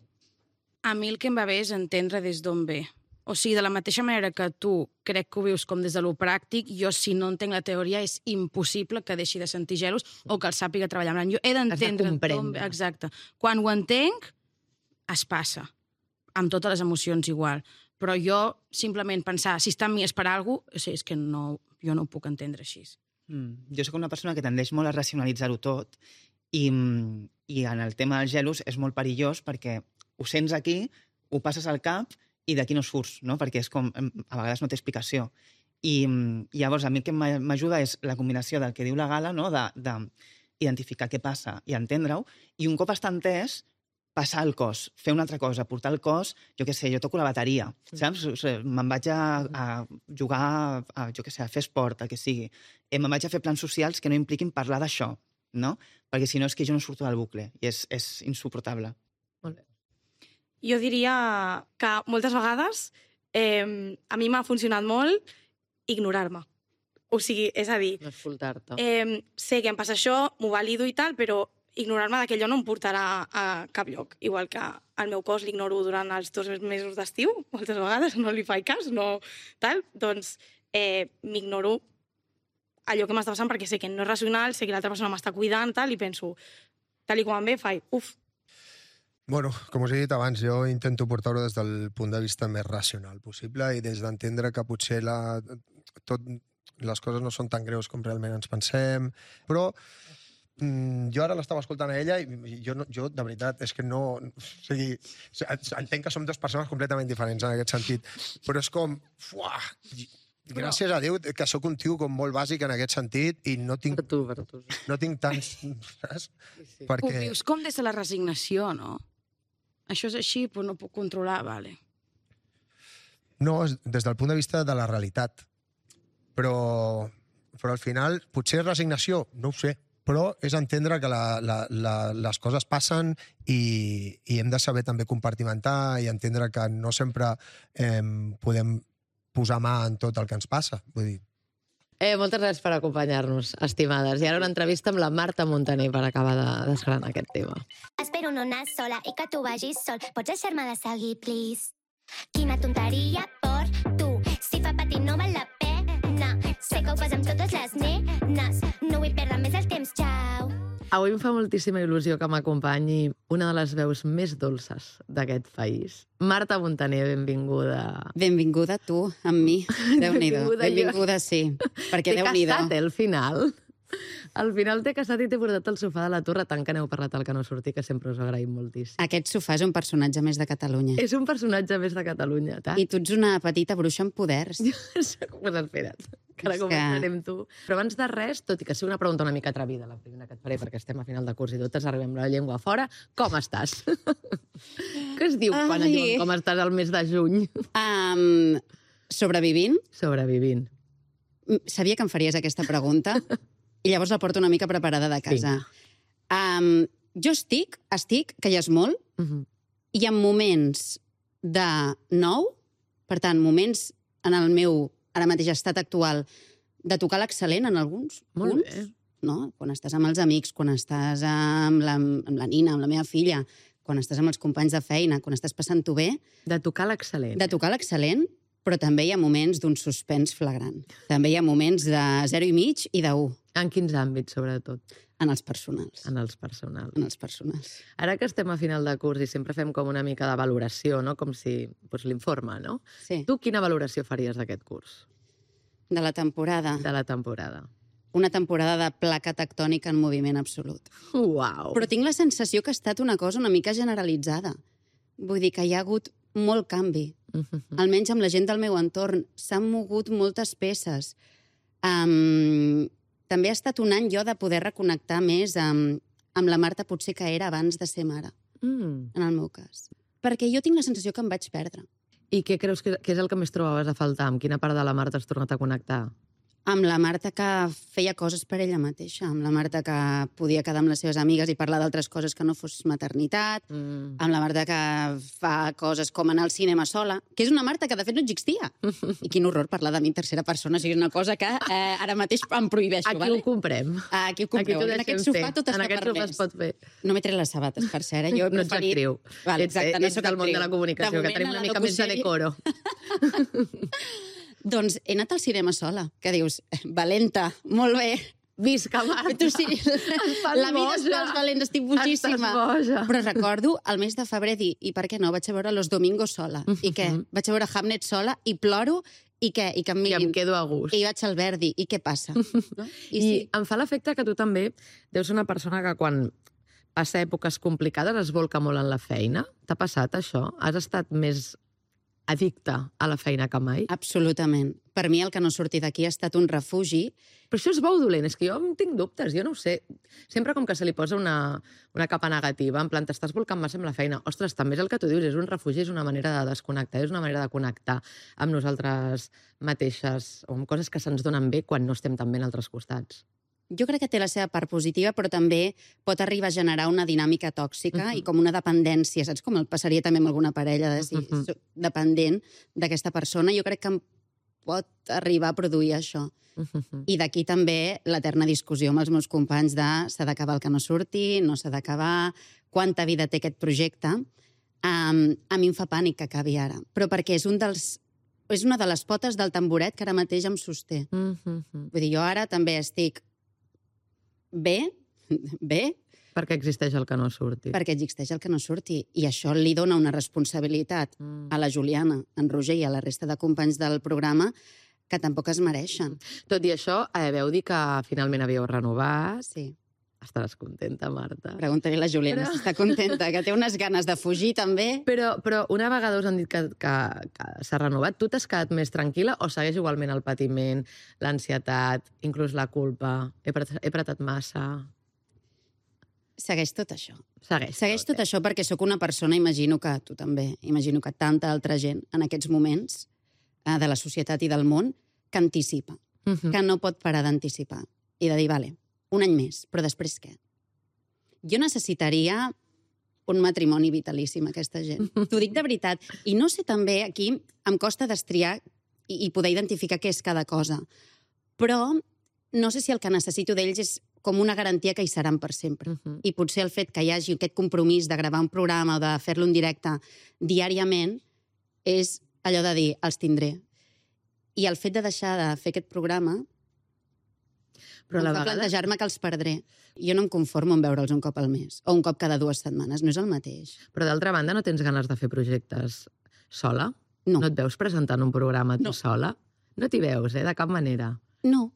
A mi el que em va bé és entendre des d'on ve. O sigui, de la mateixa manera que tu crec que ho vius com des de lo pràctic, jo, si no entenc la teoria, és impossible que deixi de sentir gelos o que el sàpiga treballar. En plan, jo he d'entendre comprendre. d'on ve. Exacte. Quan ho entenc, es passa. Amb totes les emocions igual. Però jo, simplement pensar, si està amb mi és per alguna cosa, o sigui, és que no, jo no ho puc entendre així. Mm. Jo sóc una persona que tendeix molt a racionalitzar-ho tot i, mm, i en el tema dels gelos és molt perillós perquè ho sents aquí, ho passes al cap i d'aquí no surts, no? Perquè és com, em, a vegades no té explicació. I, mm, i llavors a mi el que m'a- m'ajuda és la combinació del que diu la Gala, no? de, de identificar què passa i entendre-ho, i un cop està entès, passar el cos, fer una altra cosa, portar el cos, jo què sé, jo toco la bateria, saps? O sigui, me'n vaig a, a jugar, a, a, jo què sé, a fer esport, el que sigui. Eh, me'n vaig a fer plans socials que no impliquin parlar d'això, no? Perquè si no és que jo no surto del bucle i és, és insuportable. Molt bé. Jo diria que moltes vegades eh, a mi m'ha funcionat molt ignorar-me. O sigui, és a dir, No escoltar-te. eh, sé que em passa això, m'ho valido i tal, però ignorar-me d'aquell no em portarà a cap lloc. Igual que el meu cos l'ignoro durant els dos mesos d'estiu, moltes vegades no li faig cas, no tal, doncs eh, m'ignoro allò que m'està passant perquè sé que no és racional, sé que l'altra persona m'està cuidant tal, i penso, tal i com em ve, faig, uf, Bueno, com us he dit abans, jo intento portar-ho des del punt de vista més racional possible i des d'entendre que potser la, tot, les coses no són tan greus com realment ens pensem, però mm, jo ara l'estava escoltant a ella i jo, no, jo, de veritat, és que no... O sigui, entenc que som dues persones completament diferents en aquest sentit, però és com... Fuà, gràcies a Déu que sóc un tio com molt bàsic en aquest sentit i no tinc, Per tu, per tu. no tinc tants... Saps? Sí, sí. Ho vius com des de la resignació, no? Això és així, però no puc controlar, vale. No, és des del punt de vista de la realitat. Però, però al final, potser resignació, no ho sé, però és entendre que la, la, la, les coses passen i, i hem de saber també compartimentar i entendre que no sempre eh, podem posar mà en tot el que ens passa. Vull dir, Eh, moltes gràcies per acompanyar-nos, estimades. I ara una entrevista amb la Marta Montaner per acabar de desgranar aquest tema. Espero no anar sola i que tu vagis sol. Pots deixar-me de seguir, please? Quina tonteria per tu. Si fa patir no val la pena. Sé que ho fas amb totes les nenes. No vull perdre més el temps, xau. Avui em fa moltíssima il·lusió que m'acompanyi una de les veus més dolces d'aquest país. Marta Montaner, benvinguda. Benvinguda tu, amb mi. Déu-n'hi-do. Benvinguda jo. Benvinguda, sí. Perquè T'he Déu-n'hi-do. casat, eh, al final. Al final t'he casat i t'he portat al sofà de la torre, tant que n'heu parlat al que no surti, que sempre us agraïm moltíssim. Aquest sofà és un personatge més de Catalunya. És un personatge més de Catalunya, tant. I tu ets una petita bruixa amb poders. Com has esperat? Que ara És que- començarem tu. Però abans de res, tot i que sigui una pregunta una mica atrevida, la primera que et faré, perquè estem a final de curs i totes arribem la llengua fora, com estàs? Què es diu quan et Ai. diuen com estàs al mes de juny? Um, sobrevivint, Sobrevivint. m- sabia que em faries aquesta pregunta i llavors la porto una mica preparada de casa. Um, Jo estic, estic, que ja és molt, Uh -huh. i en moments de nou, per tant, moments en el meu, ara mateix, estat actual, de tocar l'excel·lent en alguns Molt punts, bé. no? Quan estàs amb els amics, quan estàs amb la, amb la Nina, amb la meva filla, quan estàs amb els companys de feina, quan estàs passant-ho bé, De tocar l'excel·lent. de tocar l'excel·lent, però també hi ha moments d'un suspens flagrant. També hi ha moments de zero i mig i d'un En quins àmbits, sobretot? en els personals. En els personals. En els personals. Ara que estem a final de curs i sempre fem com una mica de valoració, no? Com si doncs, l'informe, no? Sí, Tu quina valoració faries d'aquest curs, de la temporada. de la temporada? Una temporada de placa tectònica en moviment absolut. Uau! Però tinc la sensació que ha estat una cosa una mica generalitzada. Vull dir que hi ha hagut molt canvi. Mhm. Almenys amb la gent del meu entorn. S'han mogut moltes peces. Um, també ha estat un any jo de poder reconnectar més amb, amb la Marta potser que era abans de ser mare, Mm. en el meu cas. Perquè jo tinc la sensació que em vaig perdre. I què creus que, que és el que més trobaves a faltar? Amb quina part de la Marta has tornat a connectar? Amb la Marta que feia coses per ella mateixa, amb la Marta que podia quedar amb les seves amigues i parlar d'altres coses que no fos maternitat, Mm. amb la Marta que fa coses com anar al cinema sola, que és una Marta que de fet no existia. I quin horror parlar de mi en tercera persona, o sigui, és una cosa que eh, ara mateix em prohibeixo. Aquí vale? ho comprem. Aquí ho Aquí compreu. t'ho En deixem aquest sofà fer. tot En està aquest sofà permès. es pot fer. No m'he tret les sabates, per cert, eh? Jo he No ets preferit... actriu. Vale, Ets, exacte, no ets soc del món de la actriu. comunicació, De que moment, tenim a una la mica més de locusèrie- decoro. Doncs he anat al cinema sola, que dius, valenta, molt bé. Visca, Marta! Tu sí, fan la vida és boja. pels valents, estic bojíssima. Estàs boja. Però recordo el mes de febrer dir, i per què no? Vaig a veure Los Domingos sola. I què? Vaig a veure Hamlet sola i ploro, i què? I que em I mirin. em quedo a gust. I vaig al Verdi, i què passa? No? I, I sí, I em fa l'efecte que tu també deus ser una persona que quan passa èpoques complicades es volca molt en la feina. T'ha passat això? Has estat més addicta a la feina que mai? absolutament. Per mi el que no surti d'aquí ha estat un refugi. Però això és bo o dolent? És que jo en tinc dubtes, jo no ho sé. Sempre com que se li posa una, una capa negativa, en plan, t'estàs volcant massa amb la feina. Ostres, també és el que tu dius, és un refugi, és una manera de desconnectar, és una manera de connectar amb nosaltres mateixes, o amb coses que se'ns donen bé quan no estem tan bé en altres costats. Jo crec que té la seva part positiva, però també pot arribar a generar una dinàmica tòxica Mhm. i com una dependència, saps? Com el passaria també amb alguna parella, de si Mhm. soc dependent d'aquesta persona. Jo crec que em pot arribar a produir això. I d'aquí també l'eterna discussió amb els meus companys de s'ha d'acabar el que no surti, no s'ha d'acabar, quanta vida té aquest projecte. Um, a mi em fa pànic que acabi ara, però perquè és, un dels, és una de les potes del tamboret que ara mateix em sosté. Vull dir, jo ara també estic bé, bé, Perquè existeix el que no surti. perquè existeix el que no surti. I això li dona una responsabilitat Mm. a la Juliana, en Roger i a la resta de companys del programa que tampoc es mereixen. Tot i això, eh, veu dir que finalment havíeu renovat. Sí. Estaràs contenta, Marta. Pregunta-li a la Juliana Però- si està contenta, que té unes ganes de fugir també. Però, però una vegada us han dit que, que, que s'ha renovat, tu t'has quedat més tranquil·la o segueix igualment el patiment, l'ansietat, inclús la culpa? He, apretat, he apretat massa? Segueix tot això. Segueix. Segueix tot això perquè sóc una persona, imagino que tu també, imagino que tanta altra gent en aquests moments eh, de la societat i del món, que anticipa, Mhm. que no pot parar d'anticipar i de dir, vale, un any més, però després què? Jo necessitaria un matrimoni vitalici amb aquesta gent. T'ho dic de veritat. I no sé també, aquí em costa destriar i, i poder identificar què és cada cosa. Però no sé si el que necessito d'ells és com una garantia que hi seran per sempre. Mhm. I potser el fet que hi hagi aquest compromís de gravar un programa o de fer-lo en directe diàriament és allò de dir, els tindré. I el fet de deixar de fer aquest programa Però a em la fa vegada... plantejar-me que els perdré. Jo no em conformo en veure'ls un cop al mes o un cop cada dues setmanes. No és el mateix. Però d'altra banda, no tens ganes de fer projectes sola? No. No et veus presentant un programa tu No. sola? No t'hi veus, eh? De cap manera. No.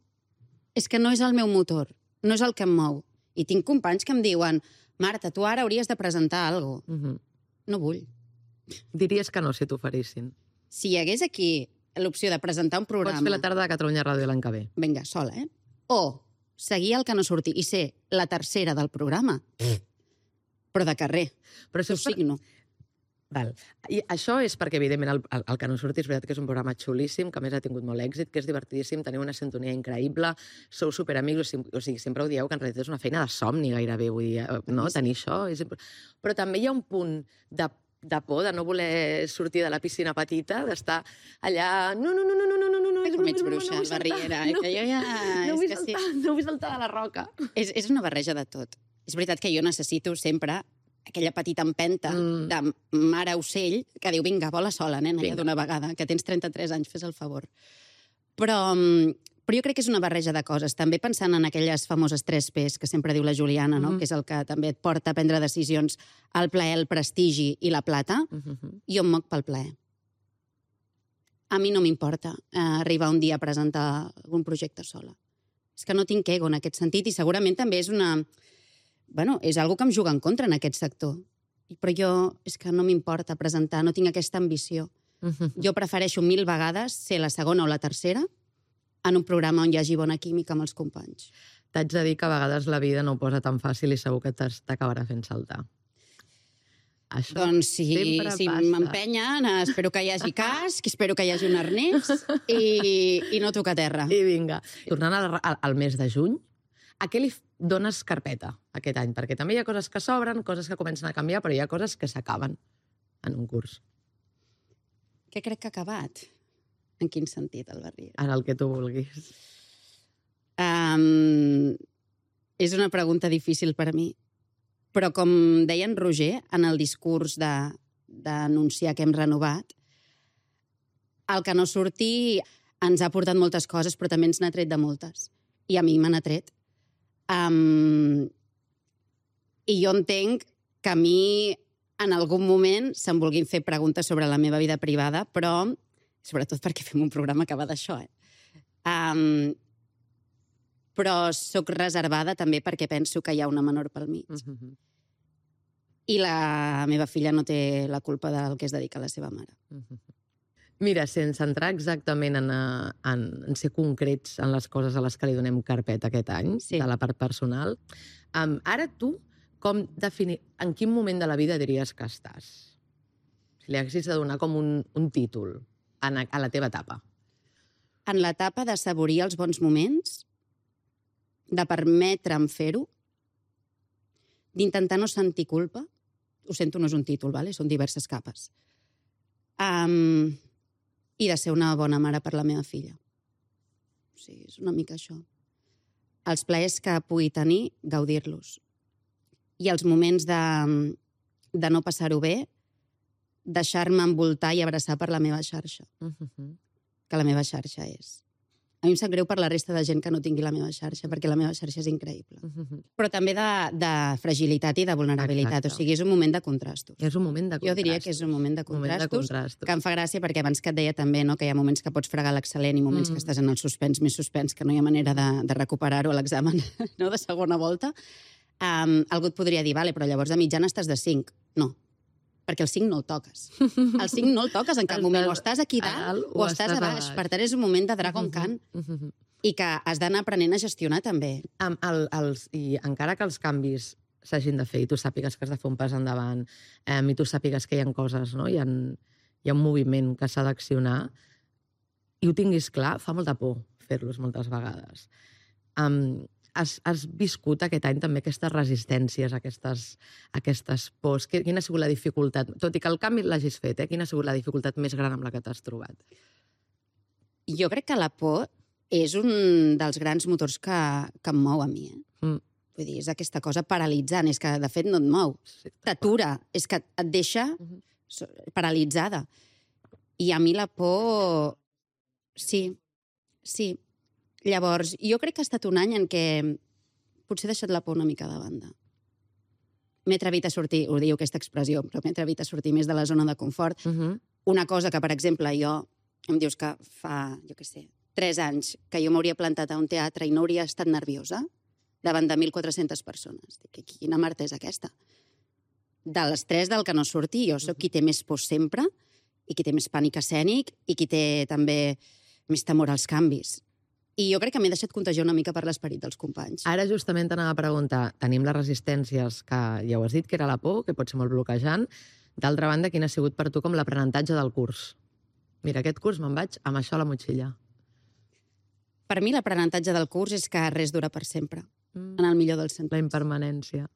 És que no és el meu motor. No és el que em mou. I tinc companys que em diuen Marta, tu ara hauries de presentar alguna cosa. Mhm. No vull. Diries que no si t'oferissin. Si hi hagués aquí l'opció de presentar un programa... Pots fer la tarda de Catalunya Ràdio l'any que ve. Vinga, sola, eh? O seguir el que no surti i ser la tercera del programa. Però de carrer. Però Ho això és per... signo. Val. I això és perquè, evidentment, el, el, el que no surti és veritat que és un programa xulíssim, que a més ha tingut molt èxit, que és divertidíssim, teniu una sintonia increïble, sou superamics, o sigui, sempre ho dieu que en realitat és una feina de somni gairebé, vull dir, no? Tenir això. És... Però també hi ha un punt de, de por, de no voler sortir de la piscina petita, d'estar allà... No, no, no, no, no, no, no, no, no, Com ets bruixa, no barriera, eh? Que jo ja... No vull és que saltar, sí. no vull saltar de la roca. És, és una barreja de tot. És veritat que jo necessito sempre aquella petita empenta Mm. de mare ocell que diu, vinga, vola sola, nena, ja Vinga. d'una vegada, que tens trenta-tres anys, fes el favor. Però, mm, però jo crec que és una barreja de coses. També pensant en aquelles famoses tres P's que sempre diu la Juliana, no? Mhm. Que és el que també et porta a prendre decisions, el plaer, el prestigi i la plata. Mhm. Jo em moc pel plaer. A mi no m'importa eh, arribar un dia a presentar algun projecte sola. És que no tinc ego en aquest sentit i segurament també és una... Bueno, és algo que em juga en contra en aquest sector. Però jo és que no m'importa presentar, no tinc aquesta ambició. Mhm. Jo prefereixo mil vegades ser la segona o la tercera en un programa on hi hagi bona química amb els companys. T'haig de dir que a vegades la vida no ho posa tan fàcil i segur que t'as- t'acabarà fent saltar. Això Doncs si, sempre si passa. m'empenyen, espero que hi hagi casc, espero que hi hagi un arnès i, i no tocar terra. I vinga. Tornant al, al, al mes de juny, a què li f- dones carpeta aquest any? Perquè també hi ha coses que s'obren, coses que comencen a canviar, però hi ha coses que s'acaben en un curs. Què crec que ha acabat? En quin sentit, el Barriera? En el que tu vulguis. Um, és una pregunta difícil per a mi. Però com deia en Roger, en el discurs de- d'anunciar que hem renovat, el que no surti ens ha portat moltes coses, però també ens n'ha tret de moltes. I a mi me n'ha tret. Um, I jo entenc que a mi en algun moment se'm vulguin fer preguntes sobre la meva vida privada, però sobretot perquè fem un programa que va d'això, eh? Um, però sóc reservada també perquè penso que hi ha una menor pel mig. Mhm. I la meva filla no té la culpa del que es dedica a la seva mare. Mhm. Mira, sense entrar exactament en, eh, en, en ser concrets en les coses a les que li donem carpeta aquest any, Sí. de la part personal, um, ara tu, com definir, en quin moment de la vida diries que estàs? Si li haguessis de donar com un, un títol a, a la teva etapa. En l'etapa de saborir els bons moments, de permetre'm fer-ho, d'intentar no sentir culpa, ho sento, no és un títol, vale? Són diverses capes, um, i de ser una bona mare per la meva filla. O sigui, és una mica això. Els plaers que pugui tenir, gaudir-los. I els moments de, de no passar-ho bé, deixar-me envoltar i abraçar per la meva xarxa, Mhm. que la meva xarxa és. A mi em sap greu per la resta de gent que no tingui la meva xarxa, perquè la meva xarxa és increïble. Mhm. Però també de, de fragilitat i de vulnerabilitat. Exacte. O sigui, és un moment de contrastos. És un moment de contrastos. Jo diria que és un moment de moment de contrastos, contrastos. que em fa gràcia perquè abans que et deia també no, que hi ha moments que pots fregar l'excel·lent i moments Mm. que estàs en el suspens més suspens, que no hi ha manera de, de recuperar-ho a l'examen no, de segona volta. Um, algú et podria dir, vale, però llavors de mitjana estàs de cinc. No, perquè el cinc no el toques. El cinc no el toques en cap Estàs moment. O estàs aquí a dalt dalt o, estàs a baix. Per tant, és un moment de Dragon Mhm. Khan Mhm. i que has d'anar aprenent a gestionar també. Amb el, els, I encara que els canvis s'hagin de fer i tu sàpigues que has de fer un pas endavant eh, i tu sàpigues que hi ha coses, no? hi, ha, hi ha un moviment que s'ha d'accionar i ho tinguis clar, fa molta por fer-los moltes vegades. Um, has, has viscut aquest any també aquestes resistències, aquestes, aquestes pors? Quina ha sigut la dificultat? Tot i que el canvi l'hagis fet, eh? Quina ha sigut la dificultat més gran amb la que t'has trobat? Jo crec que la por és un dels grans motors que, que em mou a mi. Eh? Mm. Vull dir, és aquesta cosa paralitzant, és que de fet no et mou. Sí, T'atura, és que et deixa Mhm. so- paralitzada. I a mi la por... Sí, sí. Llavors, jo crec que ha estat un any en què potser he deixat la por una mica de banda. M'he atrevit a sortir, ho diu aquesta expressió, però m'he atrevit a sortir més de la zona de confort. Mhm. Una cosa que, per exemple, jo... Em dius que fa, jo què sé, tres anys que jo m'hauria plantat a un teatre i no hauria estat nerviosa davant de mil quatre-centes persones. Dic, quina marta és aquesta? De les tres del que no surti, jo sóc qui té més por sempre i qui té més pànic escènic i qui té també més temor als canvis. I jo crec que m'he deixat contagiar una mica per l'esperit dels companys. Ara justament t'anava a preguntar, tenim les resistències, que ja ho has dit, que era la por, que pot ser molt bloquejant, D'altra banda, quin ha sigut per tu com l'aprenentatge del curs? Mira, aquest curs me'n vaig amb això a la motxilla. Per mi l'aprenentatge del curs és que res dura per sempre, Mm. en el millor dels sentits. La impermanència.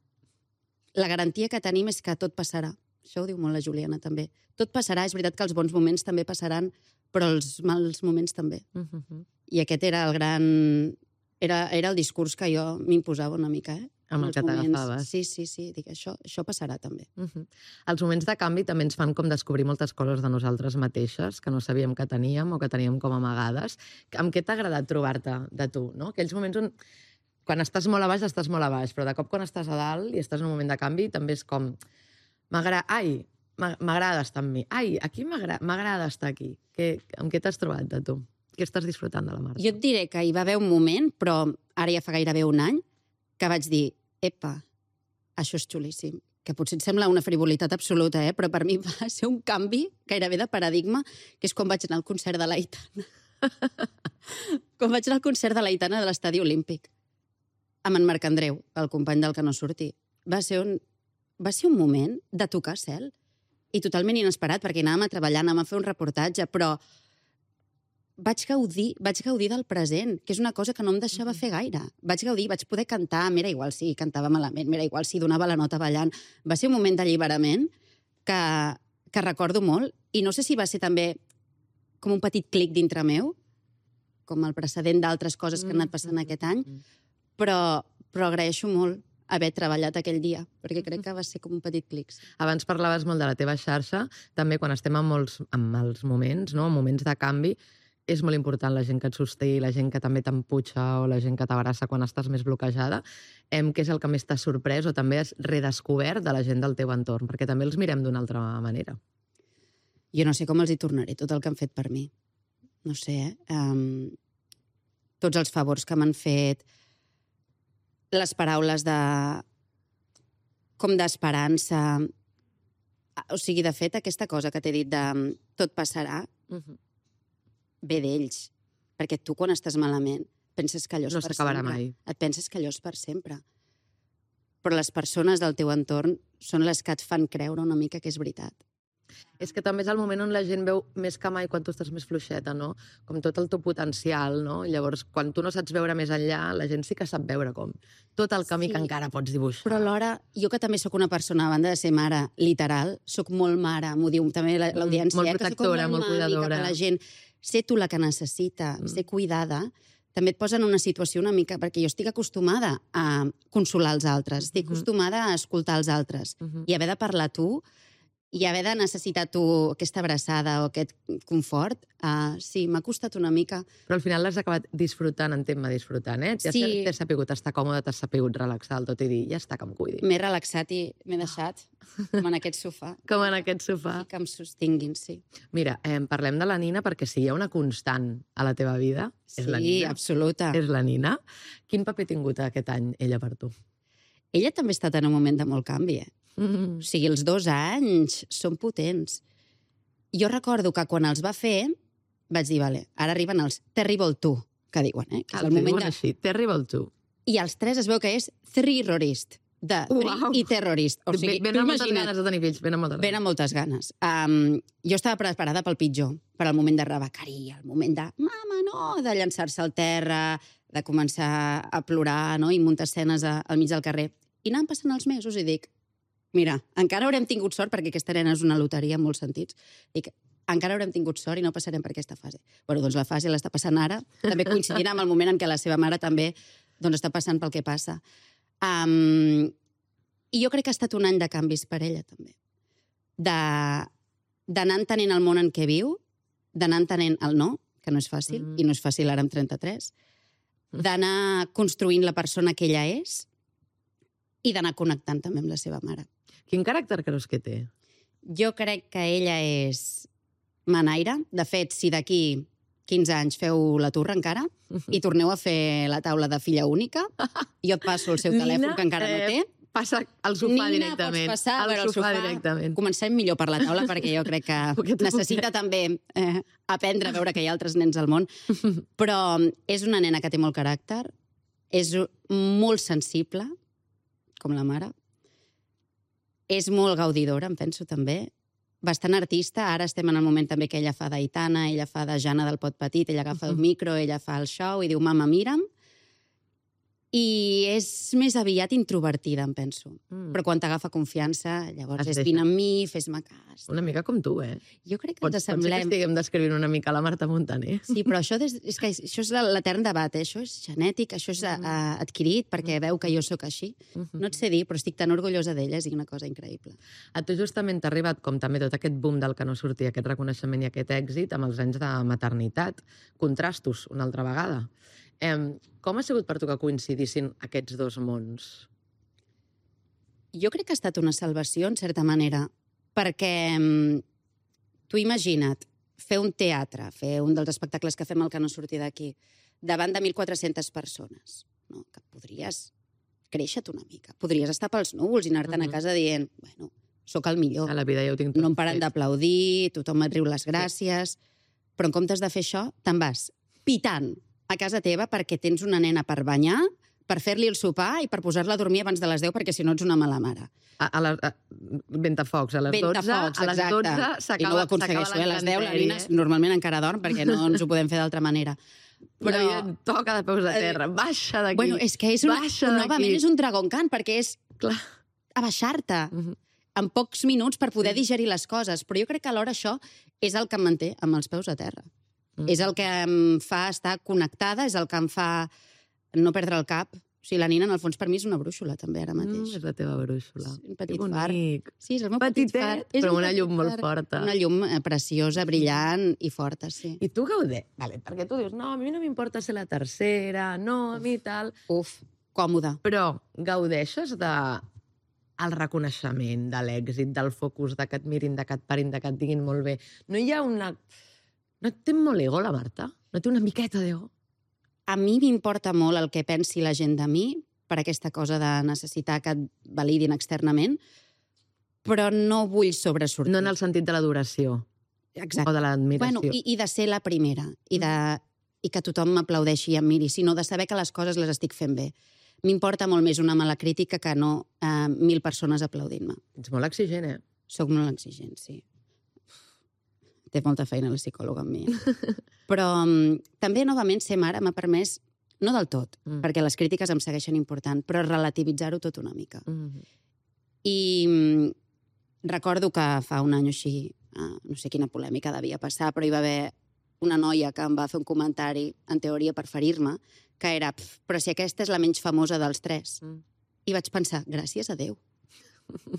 La garantia que tenim és que tot passarà. Això ho diu molt la Juliana, també. Tot passarà, és veritat que els bons moments també passaran, però els mals moments també. Uh-huh. I aquest era el gran... Era, era el discurs que jo m'imposava una mica, eh? Amb el Els que moments. t'agafaves. Sí, sí, sí. Dic, això, això passarà també. Uh-huh. Els moments de canvi també ens fan com descobrir moltes coses de nosaltres mateixes que no sabíem que teníem o que teníem com amagades. Amb què t'ha agradat trobar-te de tu, no? Aquells moments on quan estàs molt a baix, estàs molt a baix, però de cop quan estàs a dalt i estàs en un moment de canvi, també és com... M'agrada... Ai, m'agrada estar amb mi. Ai, aquí m'agrada estar aquí. Que, amb què t'has trobat de tu? Què estàs disfrutant de la Marta? Jo et diré que hi va haver un moment, però ara ja fa gairebé un any, que vaig dir, epa, això és xulíssim. Que potser et sembla una frivolitat absoluta, eh? Però per mi va ser un canvi gairebé de paradigma, que és quan vaig anar al concert de l'Aitana. Quan vaig anar al concert de l'Aitana de l'Estadi Olímpic, amb en Marc Andreu, el company del Que no surti. Va ser un, va ser un moment de tocar cel, i totalment inesperat, perquè anàvem a treballar, anàvem a fer un reportatge, però vaig gaudir, vaig gaudir del present, que és una cosa que no em deixava fer gaire. Vaig gaudir, vaig poder cantar, m'era igual si cantava malament, m'era igual si donava la nota ballant. Va ser un moment d'alliberament que, que recordo molt, i no sé si va ser també com un petit clic dintre meu, com el precedent d'altres coses que han anat passant aquest any, però, però agraeixo molt haver treballat aquell dia, perquè crec que va ser com un petit clic. Abans parlaves molt de la teva xarxa, també quan estem en molts en mals moments, no? En moments de canvi, és molt important la gent que et sosté, la gent que també t'emputxa o la gent que t'abraça quan estàs més bloquejada. Em, què és el que més t'ha sorprès o també has redescobert de la gent del teu entorn? Perquè també els mirem d'una altra manera. Jo no sé com els hi tornaré tot el que han fet per mi. No sé, eh? Um, tots els favors que m'han fet, les paraules de... com d'esperança. O sigui, de fet, aquesta cosa que t'he dit de tot passarà, Uh-huh. ve d'ells. Perquè tu, quan estàs malament, penses que allò és No per s'acabarà sempre. mai. Et penses que allò és per sempre. Però les persones del teu entorn són les que et fan creure una mica que és veritat. És que també és el moment on la gent veu més que mai quan tu estàs més fluixeta, no? Com tot el teu potencial, no? Llavors, quan tu no saps veure més enllà, la gent sí que sap veure com tot el camí Sí. que encara pots dibuixar. Però alhora, jo que també sóc una persona, a banda de ser mare literal, sóc molt mare, m'ho diu també la- l'audiència, molt eh, que sóc com protectora, molt mami cuidadora. cap a la gent. Ser tu la que necessita, Mm. ser cuidada, també et posa en una situació una mica... Perquè jo estic acostumada a consolar els altres, estic Mhm. acostumada a escoltar els altres, Uh-huh. i haver de parlar tu, i haver de necessitar tu aquesta abraçada o aquest confort, uh, sí, m'ha costat una mica. Però al final l'has acabat disfrutant, entén-me disfrutant, eh? Ja Sí. t'has sapigut estar còmode, t'has sapigut relaxar el tot i dir, ja està, que em cuidi. M'he relaxat i m'he deixat, com en aquest sofà, Com en aquest sofà. i que em sostinguin, sí. Mira, eh, parlem de la Nina perquè si hi ha una constant a la teva vida, és la Sí, Nina. absoluta. És la Nina. Quin paper ha tingut aquest any ella per tu? Ella també ha estat en un moment de molt canvi, eh? Mm. O sigui, els dos anys són potents. Jo recordo que quan els va fer, vaig dir, vale, ara arriben els Terrible Two, que diuen, eh? Que és El el moment diuen de... així, Terrible Two. I els tres es veu que és Terrorist, de Uau! Free i Terrorist. O sigui, ben tu amb moltes imagina't, ganes de tenir fills, ben amb moltes ben amb moltes ganes. Um, jo estava preparada pel pitjor, per al moment de rebequeria, el moment de, mama, no, de llançar-se al terra, de començar a plorar, no?, i muntar escenes a, al mig del carrer. I anaven passant els mesos i dic, mira, encara haurem tingut sort, perquè aquesta nena és una loteria en molts sentits, dic, encara haurem tingut sort i no passarem per aquesta fase. Bueno, doncs la fase l'està passant ara, també coincidint amb el moment en què la seva mare també doncs, està passant pel que passa. Um, I jo crec que ha estat un any de canvis per ella, també. De- D'anar entenent el món en què viu, d'anar entenent el no, que no és fàcil, Mm. i no és fàcil ara amb trenta-tres, d'anar construint la persona que ella és i d'anar connectant també amb la seva mare. Quin caràcter creus que té? Jo crec que ella és manaire. De fet, si d'aquí quinze anys feu la turra encara i torneu a fer la taula de filla única, jo et passo el seu telèfon, Nina, que encara no té. eh, Passa al sofà Nina, directament. pots passar a al veure el sofà, sofà. directament. Comencem millor per la taula, perquè jo crec Poquet que a necessita també eh, aprendre a veure que hi ha altres nens al món. Però és una nena que té molt caràcter, és molt sensible, com la mare, És molt gaudidora, em penso, també. Bastant artista. Ara estem en el moment també que ella fa d'Aitana, ella fa de Jana del Pot Petit, ella agafa el micro, ella fa el show i diu, mama, mira'm. I és més aviat introvertida, em penso. Mm. Però quan t'agafa confiança, llavors és vine amb mi, fes-me cas. Una mica com tu, eh? Jo crec que Pots, ens assemblem... Pot ser que estiguem descrivint una mica la Marta Montaner. Sí, però això, des... és, que això és l'etern debat, eh? Això és genètic, això és mm. uh, adquirit, perquè veu que jo sóc així. Mm-hmm. No et sé dir, però estic tan orgullosa d'ella, és una cosa increïble. A tu justament t'ha arribat, com també tot aquest boom del que no sortia, aquest reconeixement i aquest èxit, amb els anys de maternitat. Contrastos, una altra vegada. Eh, com ha sigut per tu que coincidissin aquests dos mons? Jo crec que ha estat una salvació, en certa manera, perquè mm, tu imagina't fer un teatre, fer un dels espectacles que fem al Que no surti d'aquí, davant de mil quatre-centes persones, no? Que podries créixer-te una mica, podries estar pels núvols i anar-te'n mm-hmm. a casa dient, bueno, sóc el millor, a la vida ja ho tinc tot no em paren d'aplaudir, tothom et riu les gràcies, sí. Però en comptes de fer això, te'n vas pitant a casa teva perquè tens una nena per banyar, per fer-li el sopar i per posar-la a dormir abans de les deu, perquè si no ets una mala mare. A, a la, a, ventafocs, a les dotze, Ventafocs, a les dotze s'acaba I no ho aconsegueixo, eh? A les deu la nina normalment encara dorm perquè no ens ho podem fer d'altra manera. Però no, toca de peus a terra, baixa d'aquí. Bueno, és que és una, novament és un dragon cant, perquè és clar, abaixar-te uh-huh. en pocs minuts per poder sí. digerir les coses. Però jo crec que alhora això és el que em manté amb els peus a terra. Mm. És el que em fa estar connectada, és el que em fa no perdre el cap. O sigui, la nina, en el fons, per mi és una brúixola, també, ara mateix. Mm, és la teva brúixola. Sí, un petit far. Sí, és el meu Petitet, petit far. Però un una llum far. molt forta. Una llum preciosa, brillant i forta, sí. I tu gaudeix? Vale, perquè tu dius, no, a mi no m'importa ser la tercera, no, a mi tal... Uf, còmode. Però gaudeixes de el reconeixement, de l'èxit, del focus, de que et mirin, de que et parin, de que et diguin molt bé. No hi ha una... No té molt ego, la Marta? No té una miqueta d'ego? A mi m'importa molt el que pensi la gent de mi, per aquesta cosa de necessitar que et validin externament, però no vull sobresortir. No en el sentit de l'adoració. Exacte. O de l'admiració. Bueno, i, i de ser la primera, i, de, i que tothom m'aplaudeixi i em miri, sinó de saber que les coses les estic fent bé. M'importa molt més una mala crítica que no eh, mil persones aplaudint-me. Ets molt exigent, eh? Soc molt exigent, sí. Té molta feina la psicòloga amb mi. Però um, també, novament, ser mare m'ha permès, no del tot, mm. perquè les crítiques em segueixen important, però relativitzar-ho tot una mica. Mm. I um, recordo que fa un any o així, uh, no sé quina polèmica devia passar, però hi va haver una noia que em va fer un comentari, en teoria per ferir-me, que era, però si aquesta és la menys famosa dels tres. Mm. I vaig pensar, gràcies a Déu.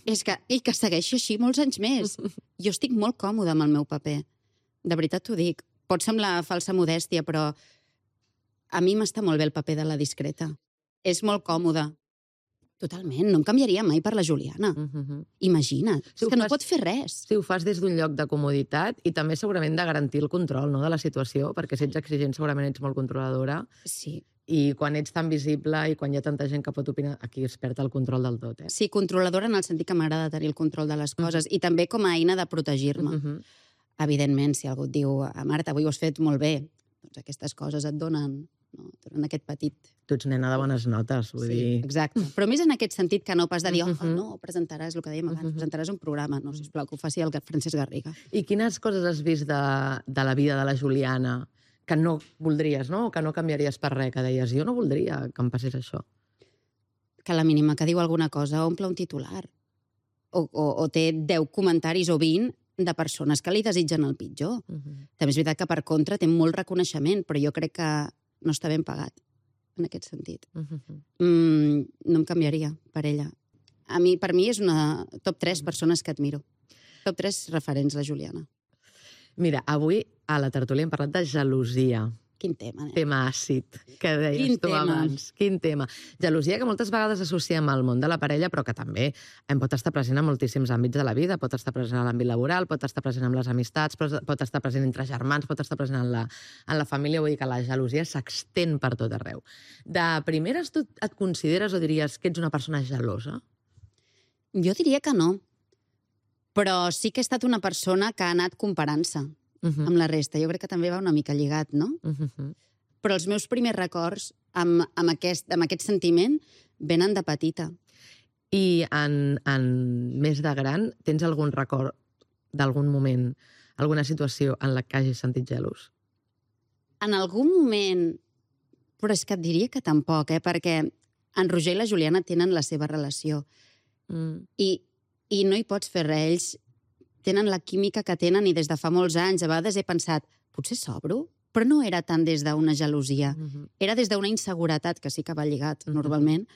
És que, i que segueixi així molts anys més. Jo estic molt còmoda amb el meu paper. De veritat t'ho dic. Pot semblar falsa modèstia, però a mi m'està molt bé el paper de la discreta. És molt còmode. Totalment. No em canviaria mai per la Juliana. Uh-huh. Imagina't. Si és que no fas, pot fer res. Si ho fas des d'un lloc de comoditat i també segurament de garantir el control, no?, de la situació, perquè si ets exigent segurament ets molt controladora. Sí. I quan ets tan visible i quan hi ha tanta gent que pot opinar, aquí es perd el control del tot, eh? Sí, controladora en el sentit que m'agrada tenir el control de les coses, uh-huh. i també com a eina de protegir-me. Uh-huh. Evidentment, si algú et diu, Marta, avui ho has fet molt bé, doncs aquestes coses et donen, no, et donen aquest petit... Tu ets nena de bones notes, vull sí, dir... Exacte. Però més en aquest sentit que no pas de dir, uh-huh. oh, no, presentaràs el que dèiem abans, uh-huh. presentaràs un programa. No, sisplau, que ho faci el Francesc Garriga. I quines coses has vist de, de la vida de la Juliana que no voldries, no? O que no canviaries per res, que deies, jo no voldria que em passés això. Que a la mínima que diu alguna cosa omple un titular. O, o, o té deu comentaris o vint de persones que li desitgen el pitjor. Uh-huh. També és veritat que, per contra, té molt reconeixement, però jo crec que no està ben pagat, en aquest sentit. Uh-huh. Mm, no em canviaria per ella. A mi, per mi és una top tres persones que admiro. Top tres referents, la Juliana. Mira, avui a la tertúlia hem parlat de gelosia. Quin tema, eh? Tema àcid, que deies Quin tu tema. abans. Quin tema. Gelosia que moltes vegades associem al món de la parella, però que també en pot estar present en moltíssims àmbits de la vida. Pot estar present en l'àmbit laboral, pot estar present en les amistats, pot estar present entre germans, pot estar present en la, en la família. Vull dir que la gelosia s'extén per tot arreu. De primeres, tu et consideres o diries que ets una persona gelosa? Jo diria que no. Però sí que he estat una persona que ha anat comparant-se uh-huh. amb la resta. Jo crec que també va una mica lligat, no? Uh-huh. Però els meus primers records amb, amb, aquest, amb aquest sentiment venen de petita. I en, en més de gran, tens algun record d'algun moment, alguna situació en la que hagis sentit gelos? En algun moment, però és que et diria que tampoc, eh? Perquè en Roger i la Juliana tenen la seva relació. Mm. I, I no hi pots fer res. Ells tenen la química que tenen i des de fa molts anys. A vegades he pensat, potser s'obro? Però no era tant des d'una gelosia. Mm-hmm. Era des d'una inseguretat, que sí que va lligat mm-hmm. normalment,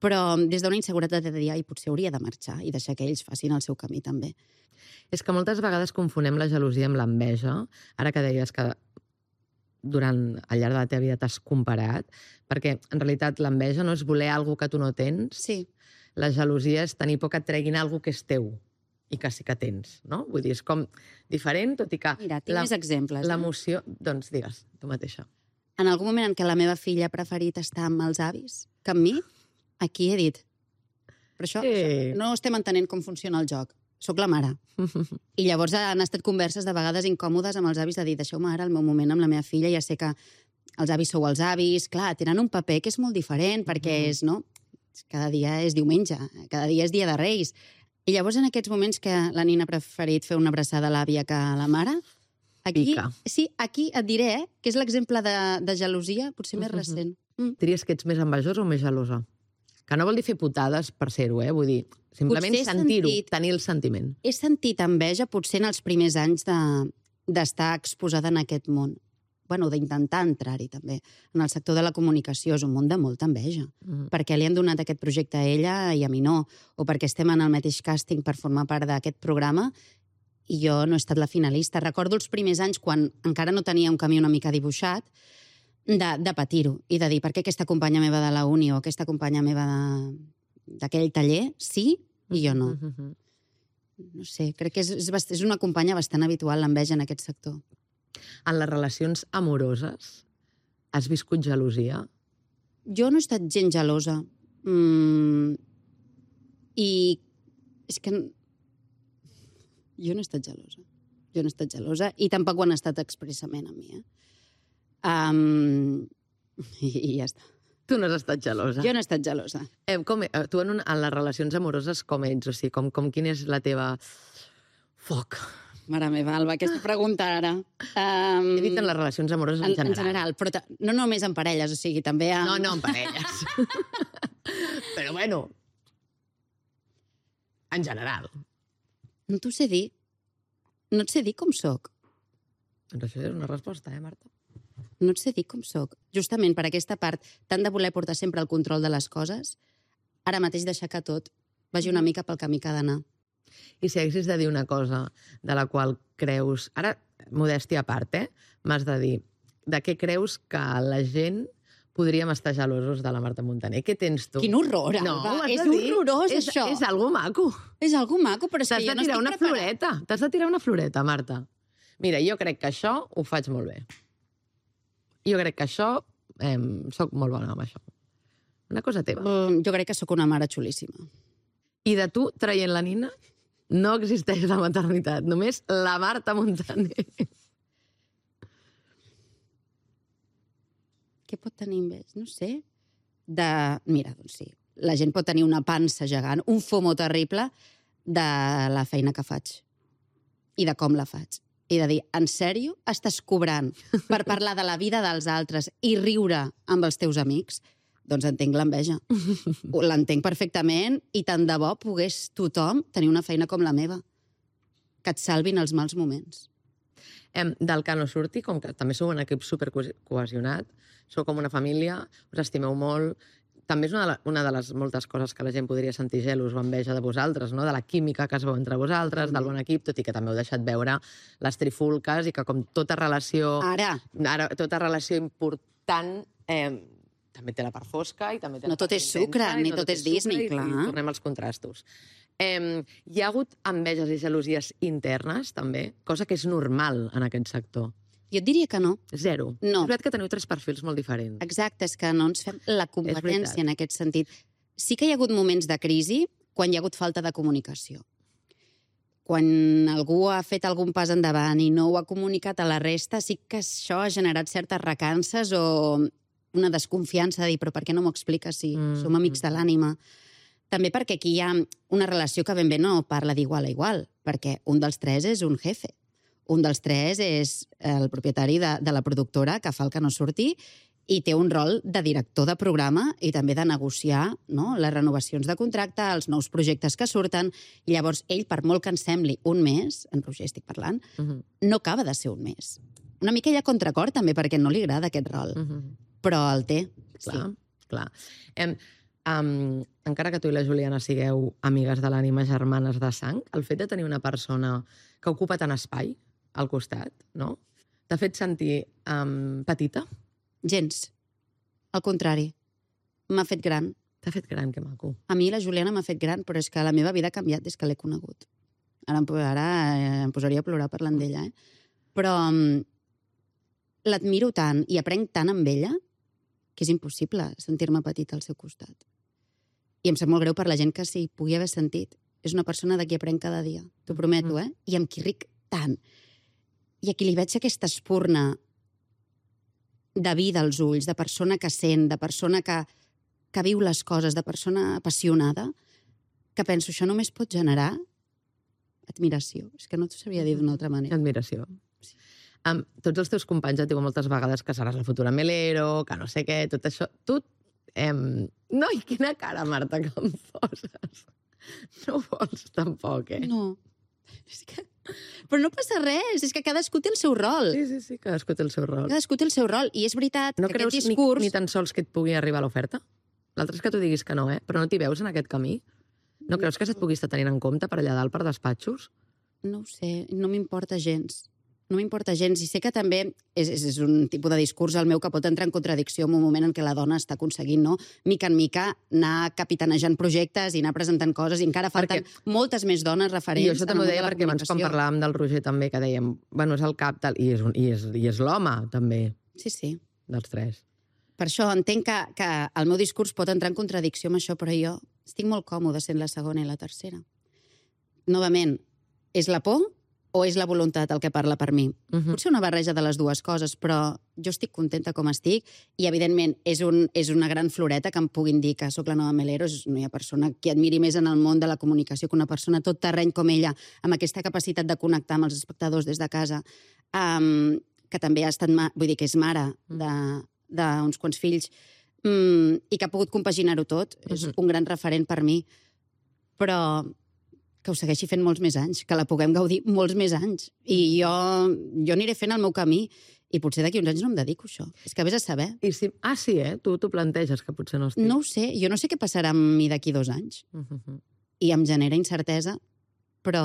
però des d'una inseguretat de dir, ai, potser hauria de marxar i deixar que ells facin el seu camí també. És que moltes vegades confonem la gelosia amb l'enveja. Ara que deies que durant al llarg de la teva vida t'has comparat, perquè en realitat l'enveja no és voler alguna que tu no tens. Sí. La gelosia és tenir por que et treguin alguna que és teu i que sí que tens, no? Vull dir, és com diferent, tot i que... Mira, tinc més exemples. Eh? L'emoció... Doncs digues, tu mateixa. En algun moment en què la meva filla preferit està amb els avis, que amb mi, aquí he dit, però això, Sí. això no estem entenent com funciona el joc. Soc la mare. I llavors han estat converses de vegades incòmodes amb els avis de dir, deixeu-me ara el meu moment amb la meva filla, ja sé que els avis sou els avis, clar, tenen un paper que és molt diferent, perquè és, no? Cada dia és diumenge, cada dia és dia de Reis. I llavors en aquests moments que la nina ha preferit fer una abraçada a l'àvia que a la mare, aquí, Pica. sí, aquí et diré eh, que és l'exemple de, de gelosia potser més recent. Mm. Diries que ets més envejosa o més gelosa? Que no vol dir fer putades per ser-ho, eh? Vull dir, simplement Potser he sentir-ho, sentit- tenir el sentiment. He sentit enveja potser en els primers anys de, d'estar exposada en aquest món. Bueno, d'intentar entrar-hi també. En el sector de la comunicació és un món de molta enveja. Mm. Perquè li han donat aquest projecte a ella i a mi no. O perquè estem en el mateix càsting per formar part d'aquest programa i jo no he estat la finalista. Recordo els primers anys quan encara no tenia un camí una mica dibuixat de, de patir-ho i de dir per què aquesta companya meva de la uni o aquesta companya meva de, d'aquell taller sí i jo no. Mm-hmm. No sé, crec que és, és, bast- és una companya bastant habitual l'enveja en aquest sector. En les relacions amoroses has viscut gelosia? Jo no he estat gent gelosa. Mm, I és que... Jo no he estat gelosa. Jo no he estat gelosa i tampoc ho han estat expressament a mi, eh? Um, i, I ja està. Tu no has estat gelosa. Jo no he estat gelosa. Eh, com, eh, tu en, un, en les relacions amoroses com ets? O sigui, com, com quina és la teva... Foc. Mare meva, Alba, aquesta pregunta ara. Um, He dit en les relacions amoroses en, en, en general, però ta- no només en parelles, o sigui, també amb... No, no, en parelles. Però bueno, en general. No t'ho sé dir. No et sé dir com sóc. Doncs això és una resposta, eh, Marta? No et sé dir com sóc. Justament per aquesta part, tant de voler portar sempre el control de les coses, ara mateix deixar que tot vagi una mica pel camí que ha d'anar. I si haguessis de dir una cosa de la qual creus... Ara, modèstia a part, eh? M'has de dir de què creus que la gent podríem estar gelosos de la Marta Montaner. Què tens tu? Quin horror, No, Alba. ho has És de dir. horrorós, és, això. És algo maco. És algo maco, però és T'has que de jo no tirar estic una preparada. floreta. T'has de tirar una floreta, Marta. Mira, jo crec que això ho faig molt bé. Jo crec que això... Eh, soc molt bona amb això. Una cosa teva. Mm, jo crec que sóc una mare xulíssima. I de tu, traient la nina, no existeix la maternitat. Només la Marta Montaner. Què pot tenir enveja? No sé. De... Mira, doncs sí, la gent pot tenir una pansa gegant, un fomo terrible de la feina que faig i de com la faig. I de dir, en sèrio, estàs cobrant per parlar de la vida dels altres i riure amb els teus amics? Doncs entenc l'enveja. L'entenc perfectament i tant de bo pogués tothom tenir una feina com la meva. Que et salvin els mals moments. Em, del que no surti, com que també sou un equip supercohesionat, sou com una família, us estimeu molt. També és una de, la, una de les moltes coses que la gent podria sentir gelos o enveja de vosaltres, no? De la química que es veu entre vosaltres, del bon equip, tot i que també heu deixat veure les trifulques i que com tota relació... Ara, Ara, tota relació important eh, també té la part fosca i també té la No tot part és sucre, intensa, i ni tot és Disney, sucre, i- clar. I tornem als contrastos. Eh, hi ha hagut enveges i gelosies internes, també, cosa que és normal en aquest sector. jo et diria que no. Zero. No. És veritat que teniu tres perfils molt diferents. Exacte, és que no ens fem la veritat. competència en aquest sentit. Sí que hi ha hagut moments de crisi quan hi ha hagut falta de comunicació. Quan algú ha fet algun pas endavant i no ho ha comunicat a la resta, sí que això ha generat certes recances o una desconfiança de dir, però per què no m'ho expliques si Mm, som amics de l'ànima? també perquè aquí hi ha una relació que ben bé no parla d'igual a igual, perquè un dels tres és un jefe, un dels tres és el propietari de, de la productora que fa el que no surti i té un rol de director de programa i també de negociar, no?, les renovacions de contracte, els nous projectes que surten, i llavors ell, per molt que ens sembli un mes, en Roger estic parlant, uh -huh. no acaba de ser un mes. Una mica hi ha contracor també perquè no li agrada aquest rol, uh -huh. però el té. Clar, sí. clar. Em, um, encara que tu i la Juliana sigueu amigues de l'ànima, germanes de sang, el fet de tenir una persona que ocupa tant espai al costat, no?, t'ha fet sentir um, petita? Gens. Al contrari. M'ha fet gran. T'ha fet gran, que maco. A mi la Juliana m'ha fet gran, però és que la meva vida ha canviat des que l'he conegut. Ara, ara em posaria a plorar parlant d'ella, eh? Però um, l'admiro tant i aprenc tant amb ella que és impossible sentir-me petita al seu costat. I em sap molt greu per la gent que s'hi pugui haver sentit. És una persona de qui aprenc cada dia, t'ho prometo, eh? I amb qui ric tant. I a qui li veig aquesta espurna de vida als ulls, de persona que sent, de persona que, que viu les coses, de persona apassionada, que penso, això només pot generar admiració. És que no t'ho sabria dir d'una altra manera. Admiració. Sí. Um, tots els teus companys et diuen moltes vegades que seràs la futura Melero, que no sé què, tot això. Tu, em... no, i quina cara, Marta, que em poses. No vols tampoc, eh? No. És que... Però no passa res, és que cadascú té el seu rol. Sí, sí, sí, cadascú té el seu rol. Cadascú té el seu rol, i és veritat no que creus aquest discurs... ni, ni tan sols que et pugui arribar l'oferta? L'altre és que tu diguis que no, eh? Però no t'hi veus en aquest camí? No creus que se't pugui estar tenint en compte per allà dalt, per despatxos? No ho sé, no m'importa gens. No m'importa gens, i sé que també és, és, és un tipus de discurs el meu que pot entrar en contradicció en un moment en què la dona està aconseguint, no?, mica en mica, anar capitanejant projectes i anar presentant coses, i encara falten perquè... moltes més dones referents. I això també ho deia perquè abans quan parlàvem del Roger també, que dèiem, bueno, és el cap, tal, i és, un, i és, i és l'home, també. Sí, sí. Dels tres. Per això entenc que, que el meu discurs pot entrar en contradicció amb això, però jo estic molt còmode sent la segona i la tercera. Novament, és la por o és la voluntat el que parla per mi? Uh-huh. Potser una barreja de les dues coses, però jo estic contenta com estic i, evidentment, és, un, és una gran floreta que em puguin dir que sóc la nova Melero. No hi ha persona que admiri més en el món de la comunicació que una persona tot terreny com ella, amb aquesta capacitat de connectar amb els espectadors des de casa, um, que també ha estat, vull dir, que és mare d'uns quants fills, um, i que ha pogut compaginar-ho tot. Uh-huh. És un gran referent per mi. Però... que ho segueixi fent molts més anys, que la puguem gaudir molts més anys. I jo, jo aniré fent el meu camí i potser d'aquí uns anys no em dedico a això. És que vés a saber. I si... Ah, sí, eh? Tu t'ho planteges, que potser no estic. No ho sé. Jo no sé què passarà amb mi d'aquí dos anys. Uh-huh. I em genera incertesa, però...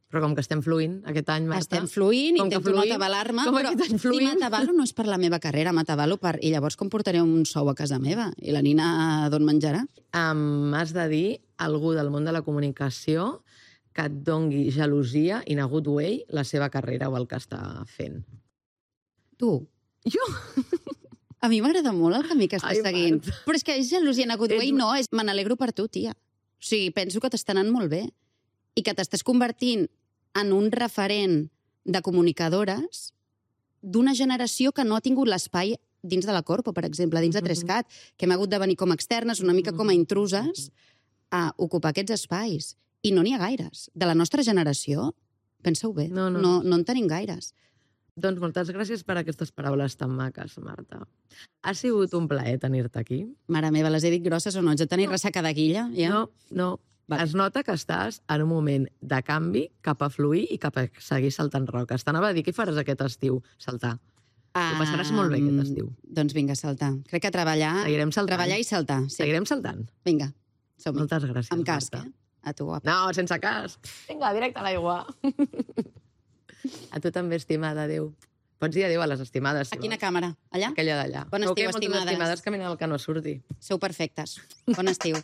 Però com que estem fluint aquest any, Marta... Estem fluint, com intento no atabalar-me, però si m'atabalo no és per la meva carrera, m'atabalo per... I llavors com portaré un sou a casa meva? I la nina d'on menjarà? Um, has de dir algú del món de la comunicació que et dongui gelosia in a good way la seva carrera o el que està fent. Tu? Jo? A mi m'agrada molt el camí que estàs Ai, seguint. Marta. Però és que és gelosia in a good way, És... no. És... Me n'alegro per tu, tia. O sigui, penso que t'està anant molt bé. I que t'estàs convertint en un referent de comunicadores d'una generació que no ha tingut l'espai dins de la Corpo, per exemple, dins de Trescat, que hem hagut de venir com a externes, una mica com a intruses, a ocupar aquests espais. I no n'hi ha gaires. De la nostra generació, pensa-ho bé, no, no. no, no en tenim gaires. Doncs moltes gràcies per aquestes paraules tan maques, Marta. Ha sigut un plaer tenir-te aquí. Mare meva, les he dit grosses o no? Ets de tenir ressaca de guilla? Ja? No, no. Vale. Es nota que estàs en un moment de canvi cap a fluir i cap a seguir saltant roques. T'anava a dir, què faràs aquest estiu? Saltar. Ah, Ho passaràs molt bé aquest estiu. Doncs vinga, saltar. Crec que treballar... Seguirem saltant. Treballar i saltar, sí. Seguirem saltant. Vinga, som-hi. Moltes gràcies, Amb casc, Marta. eh? A tu, guapa. No, sense casc. Vinga, directe a l'aigua. A tu també, estimada, adéu. Pots dir adéu a les estimades. A quina càmera? Allà? Aquella d'allà. Bon estiu, estimades. estimades. estimades que venen al que no surti. Sou perfectes. Bon estiu.